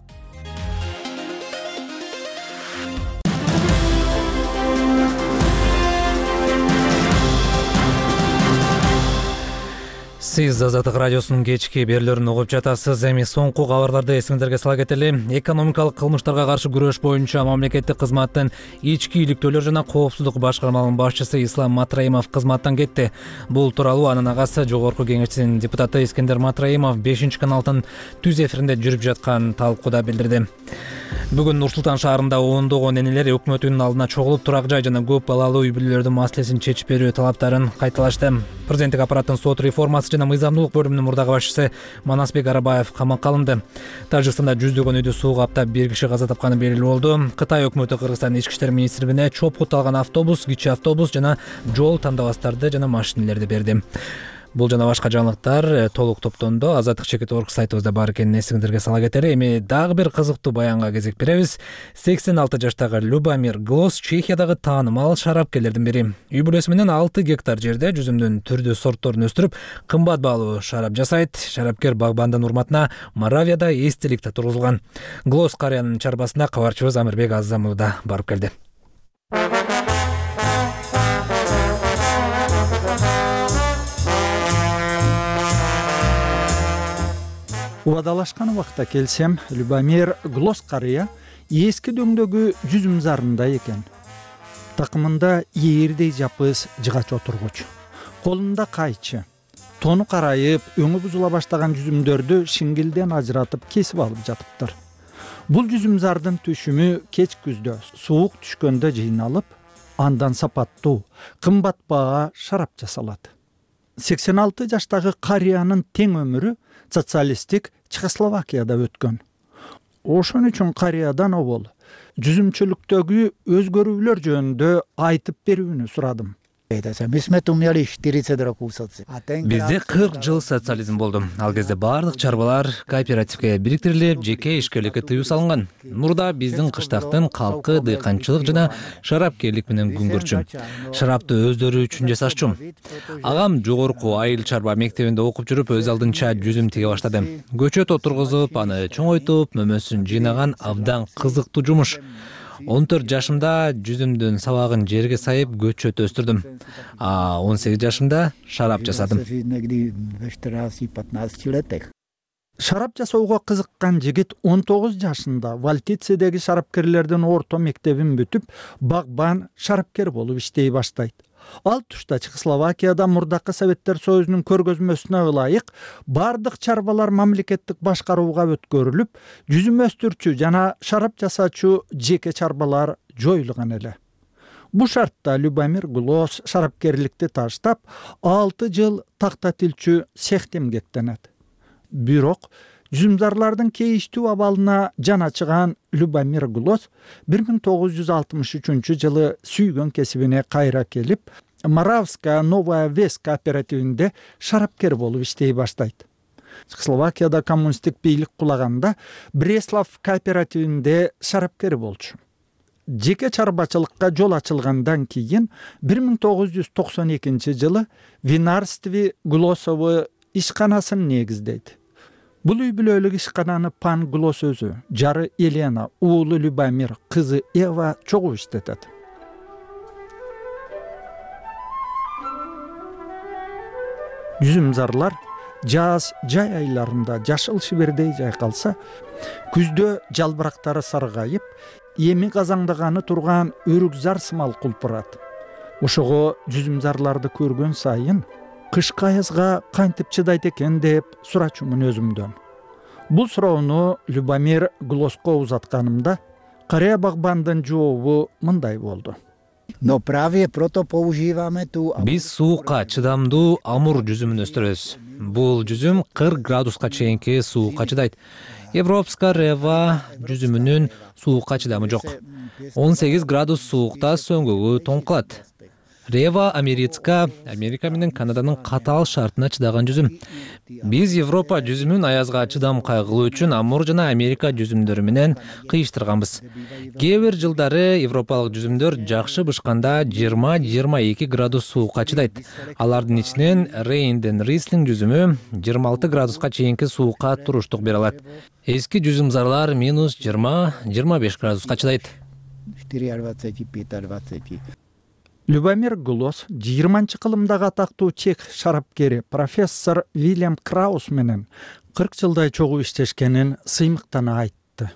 Сиз Азаттык радиосунун кечки берүүлөрүн угуп жатасыз. Эми соңку кабарларды эсиңиздерге сала кетели. Экономикалык кылмыштарга каршы күрөш боюнча мамлекеттик кызматтын ички иликтөөлөр жана коопсуздук башкармалыгынын башчысы Ислам Матраимов кызматтан кетти. Бул тууралуу анын агасы Жогорку Кеңешчинин депутаты Искендер Матраимов 5-каналдын түз эфиринде жүрүп жаткан талкууда билдирди. Бүгүн Нур-Султан шаарында ондогон энелер өкмөтүнүн алдына чогулуп турак жай жана көп балалуу үй бүлөлөрдүн маселесин чечип берүү талаптарын кайталашты. Президенттик аппараттын сот реформасы жана мыйзамдуулук бөлүмүнүн мурдагы башчысы Манасбек Арабаев камакка алынды. Тажикстанда жүздөгөн үйдү суу каптап, бир киши каза тапканы белгилүү болду. Кытай өкмөтү Кыргызстан ички иштер министрлигине чоопкут алган автобус, кичи автобус жана жол тандабастарды жана машинелерди берди. Бул жана башка жаңылыктар толук топтондо Азаттык чекит орг сайтыбызда бар экенин эсиңиздерге сала кетели. Эми дагы бир кызыктуу баянга кезек беребиз. 86 жаштагы Любомир Глос Чехиядагы таанымал шарапкерлердин бири. Үй бүлөсү менен 6 гектар жерде жүзүмдүн түрдүү сортторун өстүрүп, кымбат баалуу шарап жасайт. Шарапкер багбандын урматына Моравияда эстелик да тургузулган. Глос карыянын чарбасына кабарчыбыз Амирбек Азамов да барып келди. Убадалашкан убакта келсем, Любомир Глос карыя эски дөңдөгү жүзүм зарында экен. Такымында ээрдей жапыз жыгач отургуч, колунда кайчы. Тону карайып, өңү бузула баштаган жүзүмдөрдү шиңгилден ажыратып кесип алып жатыптыр. Бул жүзүм зардын түшүмү кеч күздө суук түшкөндө жыйналып, андан сапаттуу, кымбат баа шарап жасалат. 86 жаштагы карыянын тең өмүрү социалисттик Чехословакияда өткөн. Ошон үчүн карыядан обол жүзүмчүлүктөгү өзгөрүүлөр жөнүндө айтып берүүнү сурадым. Бизде 40 жыл социализм болду. Ал кезде баардык чарбалар кооперативге бириктирилип, жеке ишкерликке тыюу салынган. Мурда биздин кыштактын калкы дыйканчылык жана шарапкерлик менен күн көрчү. Шарапты өздөрү үчүн жасашчу. Агам жогорку айыл чарба мектебинде окуп жүрүп, өз алдынча жүзүм тиге баштады. Көчөт отургузуп, аны чоңойтуп, мөмөсүн жыйнаган абдан кызыктуу жумуш. 14 жашымда жүзүмдүн сабагын жерге сайып көчөт өстүрдүм. 18 жашымда шарап жасадым. Шарап жасоого кызыккан жигит 19 жашында Валтицедеги шарапкерлердин орто мектебин бүтүп, багбан шарапкер болуп иштей баштайт. Ал тушта Чехословакияда мурдакы Советтер Союзунун көргөзмөсүнө ылайык бардык чарбалар мамлекеттик башкарууга өткөрүлүп, жүзүм өстүрчү жана шарап жасаачу жеке чарбалар жоюлган эле. Бу шартта Любомир Глос шарапкерликти таштап, 6 жыл такта тилчү цехте эмгектенет. Бирок жүзүмзарлардын кейиштүү абалына жан ачыган Любомир Глос 1963 жылы сүйгөн кесибине кайра келип, Моравская Новая Вес кооперативинде шарапкер болуп иштей баштайт. Чехословакияда коммунисттик бийлик кулаганда Бреслав кооперативинде шарапкер болчу. Жеке чарбачылыкка жол ачылгандан кийин 1992 жылы Винарстве Глосовы ишканасын негиздейт. Бул үй бүлөлүк ишкананы Пан Глос өзү, жары Елена, уулу Любомир, кызы Ева чогуу иштетет. Жүзүмзарлар жаз жай айларында жашыл шибердей жайкалса, күздө жалбырактары саргайып, эми казаңдаганы турган өрүкзар сымал кулпурат. Ошого жүзүмзарларды көргөн сайын кышкы аязга кантип чыдайт экен деп сурачумун өзүмдөн. Бул суроону Любомир Глоско узатканымда карыя багбандын жообу мындай болду. Биз суукка чыдамдуу амур жүзүмүн өстүрөбүз. Бул жүзүм 40 градуска чейинки суукка чыдайт. Европска рева жүзүмүнүн суукка чыдамы жок. 18 градус суукта сөңгөгү тоң кылат. Рева Америка менен Канаданын катаал шартына чыдаган жүзүм. Биз Европа жүзүмүн аязга чыдам кайгылуу үчүн амур жана Америка жүзүмдөрү менен кыйыштырганбыз. Кээ бир жылдары европалык жүзүмдөр жакшы бышканда 20-22 градус суукка чыдайт. Алардын ичинен Рейнден Рислинг жүзүмү 26 градуска чейинки суукка туруштук бере алат. Эски жүзүмзарлар -20-25 градуска чыдайт. Любомир Глос 20-кылымдагы атактуу чех шарапкери профессор Вильям Краус менен 40 жылдай чогуу иштешкенин сыймыктана айтты.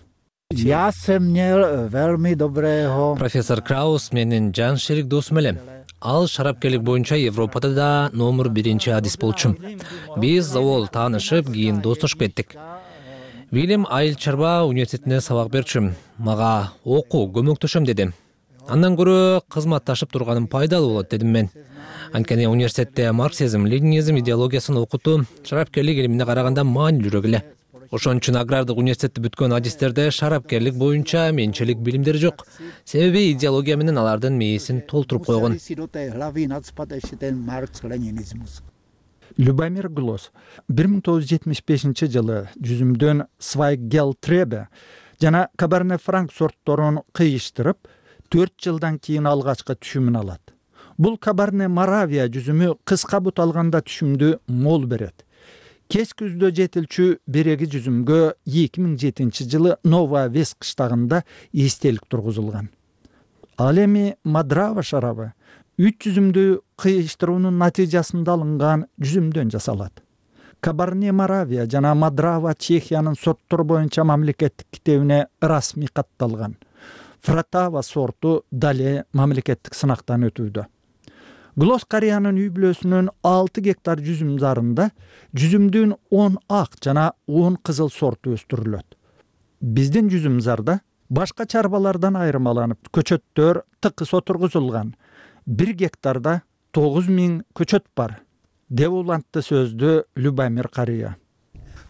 Профессор Краус менин жан шерик досум эле. Ал шарапкерлик боюнча Европада да номер 1 адис болчу. Биз завол таанышып, кийин достошуп кеттик. Вильям айыл чарба университетинде сабак берчү. Мага окуу көмөктөшөм деди. Андан көрө кызматташып турганым пайдалуу болот дедим мен. Анткени университетте марксизм, ленинизм идеологиясын окутуу шарапкерлик илимине караганда маанилүүрөөк эле. Ошон үчүн агрардык университетти бүткөн адистерде шарапкерлик боюнча менчилик билимдери жок. Себеби идеология менен алардын мээсин толтуруп койгон. Любомир Глос 1975-жылы жүзүмдөн Свайгелтребе жана Кабарне Франк сортторун кыйыштырып 4 жылдан кийин алгачкы түшүмүн алат. Бул Кабарне Моравия жүзүмү кыска бут алганда түшүмдү мол берет. Кеч күздө жетилчү береги жүзүмгө 2007-жылы Нова Вес кыштагында эстелик тургузулган. Ал эми Мадрава шарабы 3 жүзүмдү кыйыштыруунун натыйжасында алынган жүзүмдөн жасалат. Кабарне Моравия жана Мадрава Чехиянын сорттор боюнча мамлекеттик китебине расмий катталган. Фратава сорту дале мамлекеттик сынактан өтүүдө. Глос Кореянын үй бүлөсүнүн 6 гектар жүзүм зарында жүзүмдүн 10 ак жана 10 кызыл сорту өстүрүлөт. Биздин жүзүм зарда башка чарбалардан айырмаланып көчөттөр тыкыс отургузулган. 1 гектарда 9000 көчөт бар, деп улантты сөздү Любомир Кария.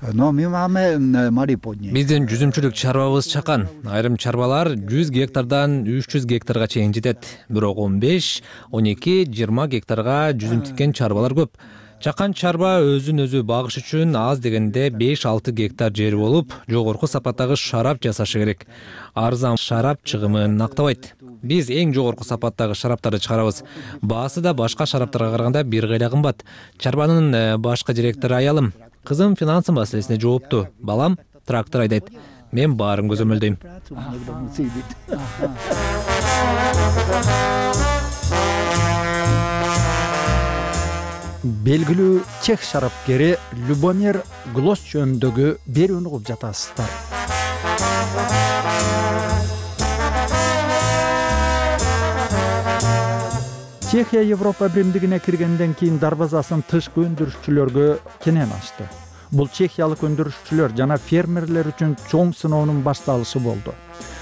Биздин жүзүмчүлүк чарбабыз чакан. Айрым чарбалар 100 гектардан 300 гектарга чейин жетет. Бирок 15, 12, 20 гектарга жүзүм тиккен чарбалар көп. Чакан чарба өзүн өзү багыш үчүн аз дегенде 5-6 гектар жери болуп, жогорку сапаттагы шарап жасашы керек. Арзан шарап чыгымын актабайт. Биз эң жогорку сапаттагы шараптарды чыгарабыз. Баасы да башка шараптарга караганда бир кайда кымбат. Чарбанын башкы директору аялым. Кызым финансы маселесине жоопту. Балам трактор айдайт. Мен баарын көзөмөлдөйм. Белгилүү чех шарапкери Любомир Глос жөнүндөгү берүүнү угуп жатасыздар. Чехия Европа биримдигине киргенден кийин дарбазасын тышкы өндүрүшчүлөргө кенен ачты. Бул чехиялык өндүрүшчүлөр жана фермерлер үчүн чоң сыноонун башталышы болду.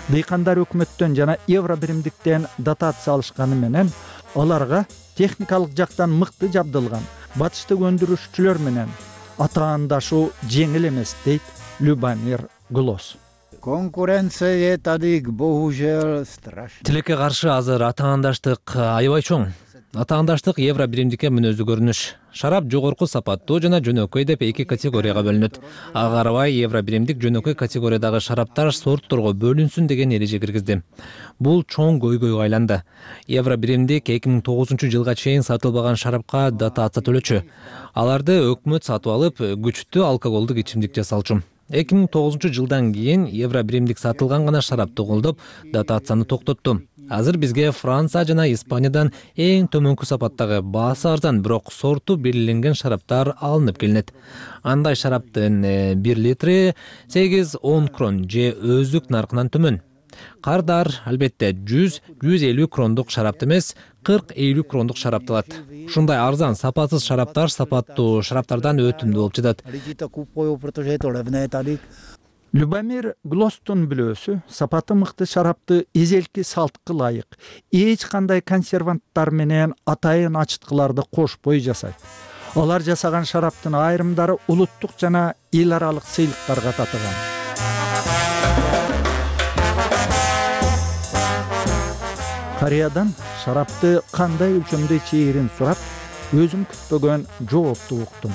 Дыйкандар өкмөттөн жана евро биримдиктен дотация алышканы менен аларга техникалык жактан мыкты жабдылган батыштык өндүрүшчүлөр менен атаандашуу жеңил эмес, дейт Любомир Глос. Конкуренция тадык bohužel страшно. Тилекке каршы азыр атаандаштык аябай чоң. Атаандаштык евро биримдикке мүнөздүү көрүнүш. Шарап жогорку сапаттуу жана жөнөкөй деп 2 категорияга бөлүнөт. Ага карабай евро биримдик жөнөкөй категориядагы шараптар сортторго бөлүнсүн деген эреже киргизди. Бул чоң көйгөйгө айланды. Евро биримдик 2009-жылга чейин сатылбаган шарапка дотация төлөчү. Аларды өкмөт сатып алып, күчтүү алкоголдук ичимдик жасалчу. 2009-жылдан кийин евро биримдик сатылган гана шарапты колдоп, дотацияны токтотту. Азыр бизге Франция жана Испаниядан эң төмөнкү сапаттагы баасы арзан, бирок сорту белгиленген шараптар алынып келинет. Андай шараптын 1 литри 8-10 крон же өздүк наркынан төмөн. Кардар албетте 100-150 крондук шарапты эмес, 40-50 крондук шарапты алат. Ушундай арзан, сапатсыз шараптар сапаттуу шараптардан өтүмдүү болуп жатат. Любомир Глостун бүлөөсү сапаты мыкты шарапты эзелки салтка ылайык эч кандай консерванттар менен атайын ачыткыларды кошпой жасайт. Алар жасаган шараптын айрымдары улуттук жана эл аралык сыйлыктарга татыган. Кореядан шарапты кандай өлчөмдө ичээрин сурап, өзүм күтпөгөн жоопту уктум.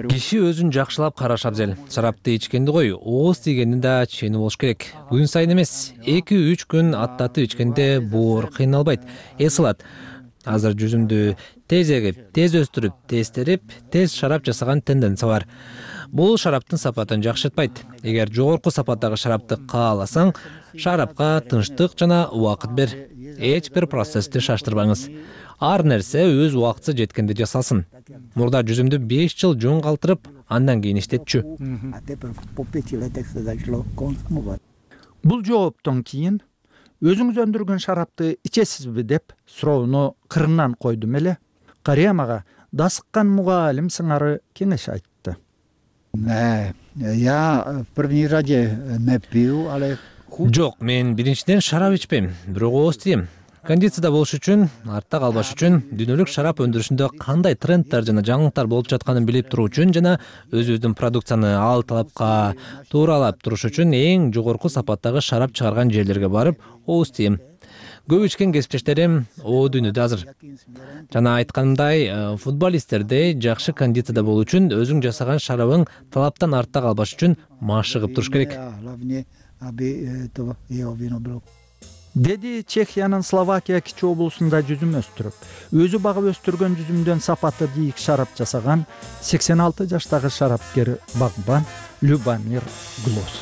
Киши өзүн жакшылап караш абзел. Шарапты ичкенди кой, ооз тийгенин да чени болуш керек. Күн сайын эмес, 2-3 күн аттатып ичкенде боор кыйналбайт, эс алат. Азыр жүзүмдү тез эгип, тез өстүрүп, тез терип, тез шарап жасаган тенденция бар. Бул шараптын сапатын жакшыртпайт. Эгер жогорку сапаттагы шарапты кааласаң, шарапка тынчтык жана убакыт бер. Эч бир процессти шаштырбаңыз. Ар нерсе өз убактысы жеткенде жасалсын. Мурда жүзүмдү 5 жыл жөн калтырып, андан кийин иштетчү. Бул жооптон кийин өзүңүз өндүргөн шарапты ичесизби деп суроону кырынан койдум эле. Кария мага дасыккан мугалим сыңары кеңеш айтты. Я в первый раз не пью, але Жок, мен биринчиден шарап ичпейм, бирок ооз тийем. Кондицияда болуш үчүн, артта калбаш үчүн, дүйнөлүк шарап өндүрүшүндө кандай тренддер жана жаңылыктар болуп жатканын билип туруу үчүн жана өзүбүздүн продукцияны ал талапка тууралап туруш үчүн эң жогорку сапаттагы шарап чыгарган жерлерге барып ооз тийем. көп ичкен кесиптештерим о дүйнөдө азыр. Жана айтканымдай, футболисттерде жакшы кондицияда болуу үчүн өзүң жасаган шарабың талаптан артта калбаш үчүн машыгып туруш керек. Деди Чехиянын Словакия кичи облусунда жүзүм өстүрүп, өзү багып өстүргөн жүзүмдөн сапаты ийик шарап жасаган 86 жаштагы шарапкер багбан Любомир Глос.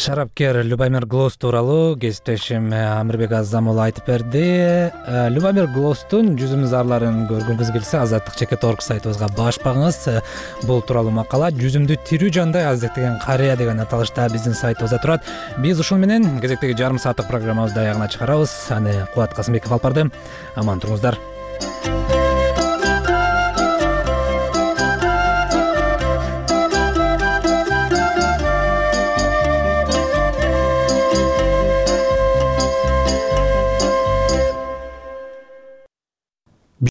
Шарапкер Любомир Глос тууралуу кесиптешим Амирбек Азамулу айтып берди. Любомир Глостун жүзүм зарларын көргүңүз келсе, Азаттык /org сайтыбызга баш багыңыз. Бул тууралуу макала жүзүмдү тирүү жандай азектеген карыя деген аталышта биздин сайтыбызда турат. Биз ушул менен кезектеги жарым сааттык программабызды аягына чыгарабыз. Аны Кубат Касымбеков алып барды. Аман туруңуздар.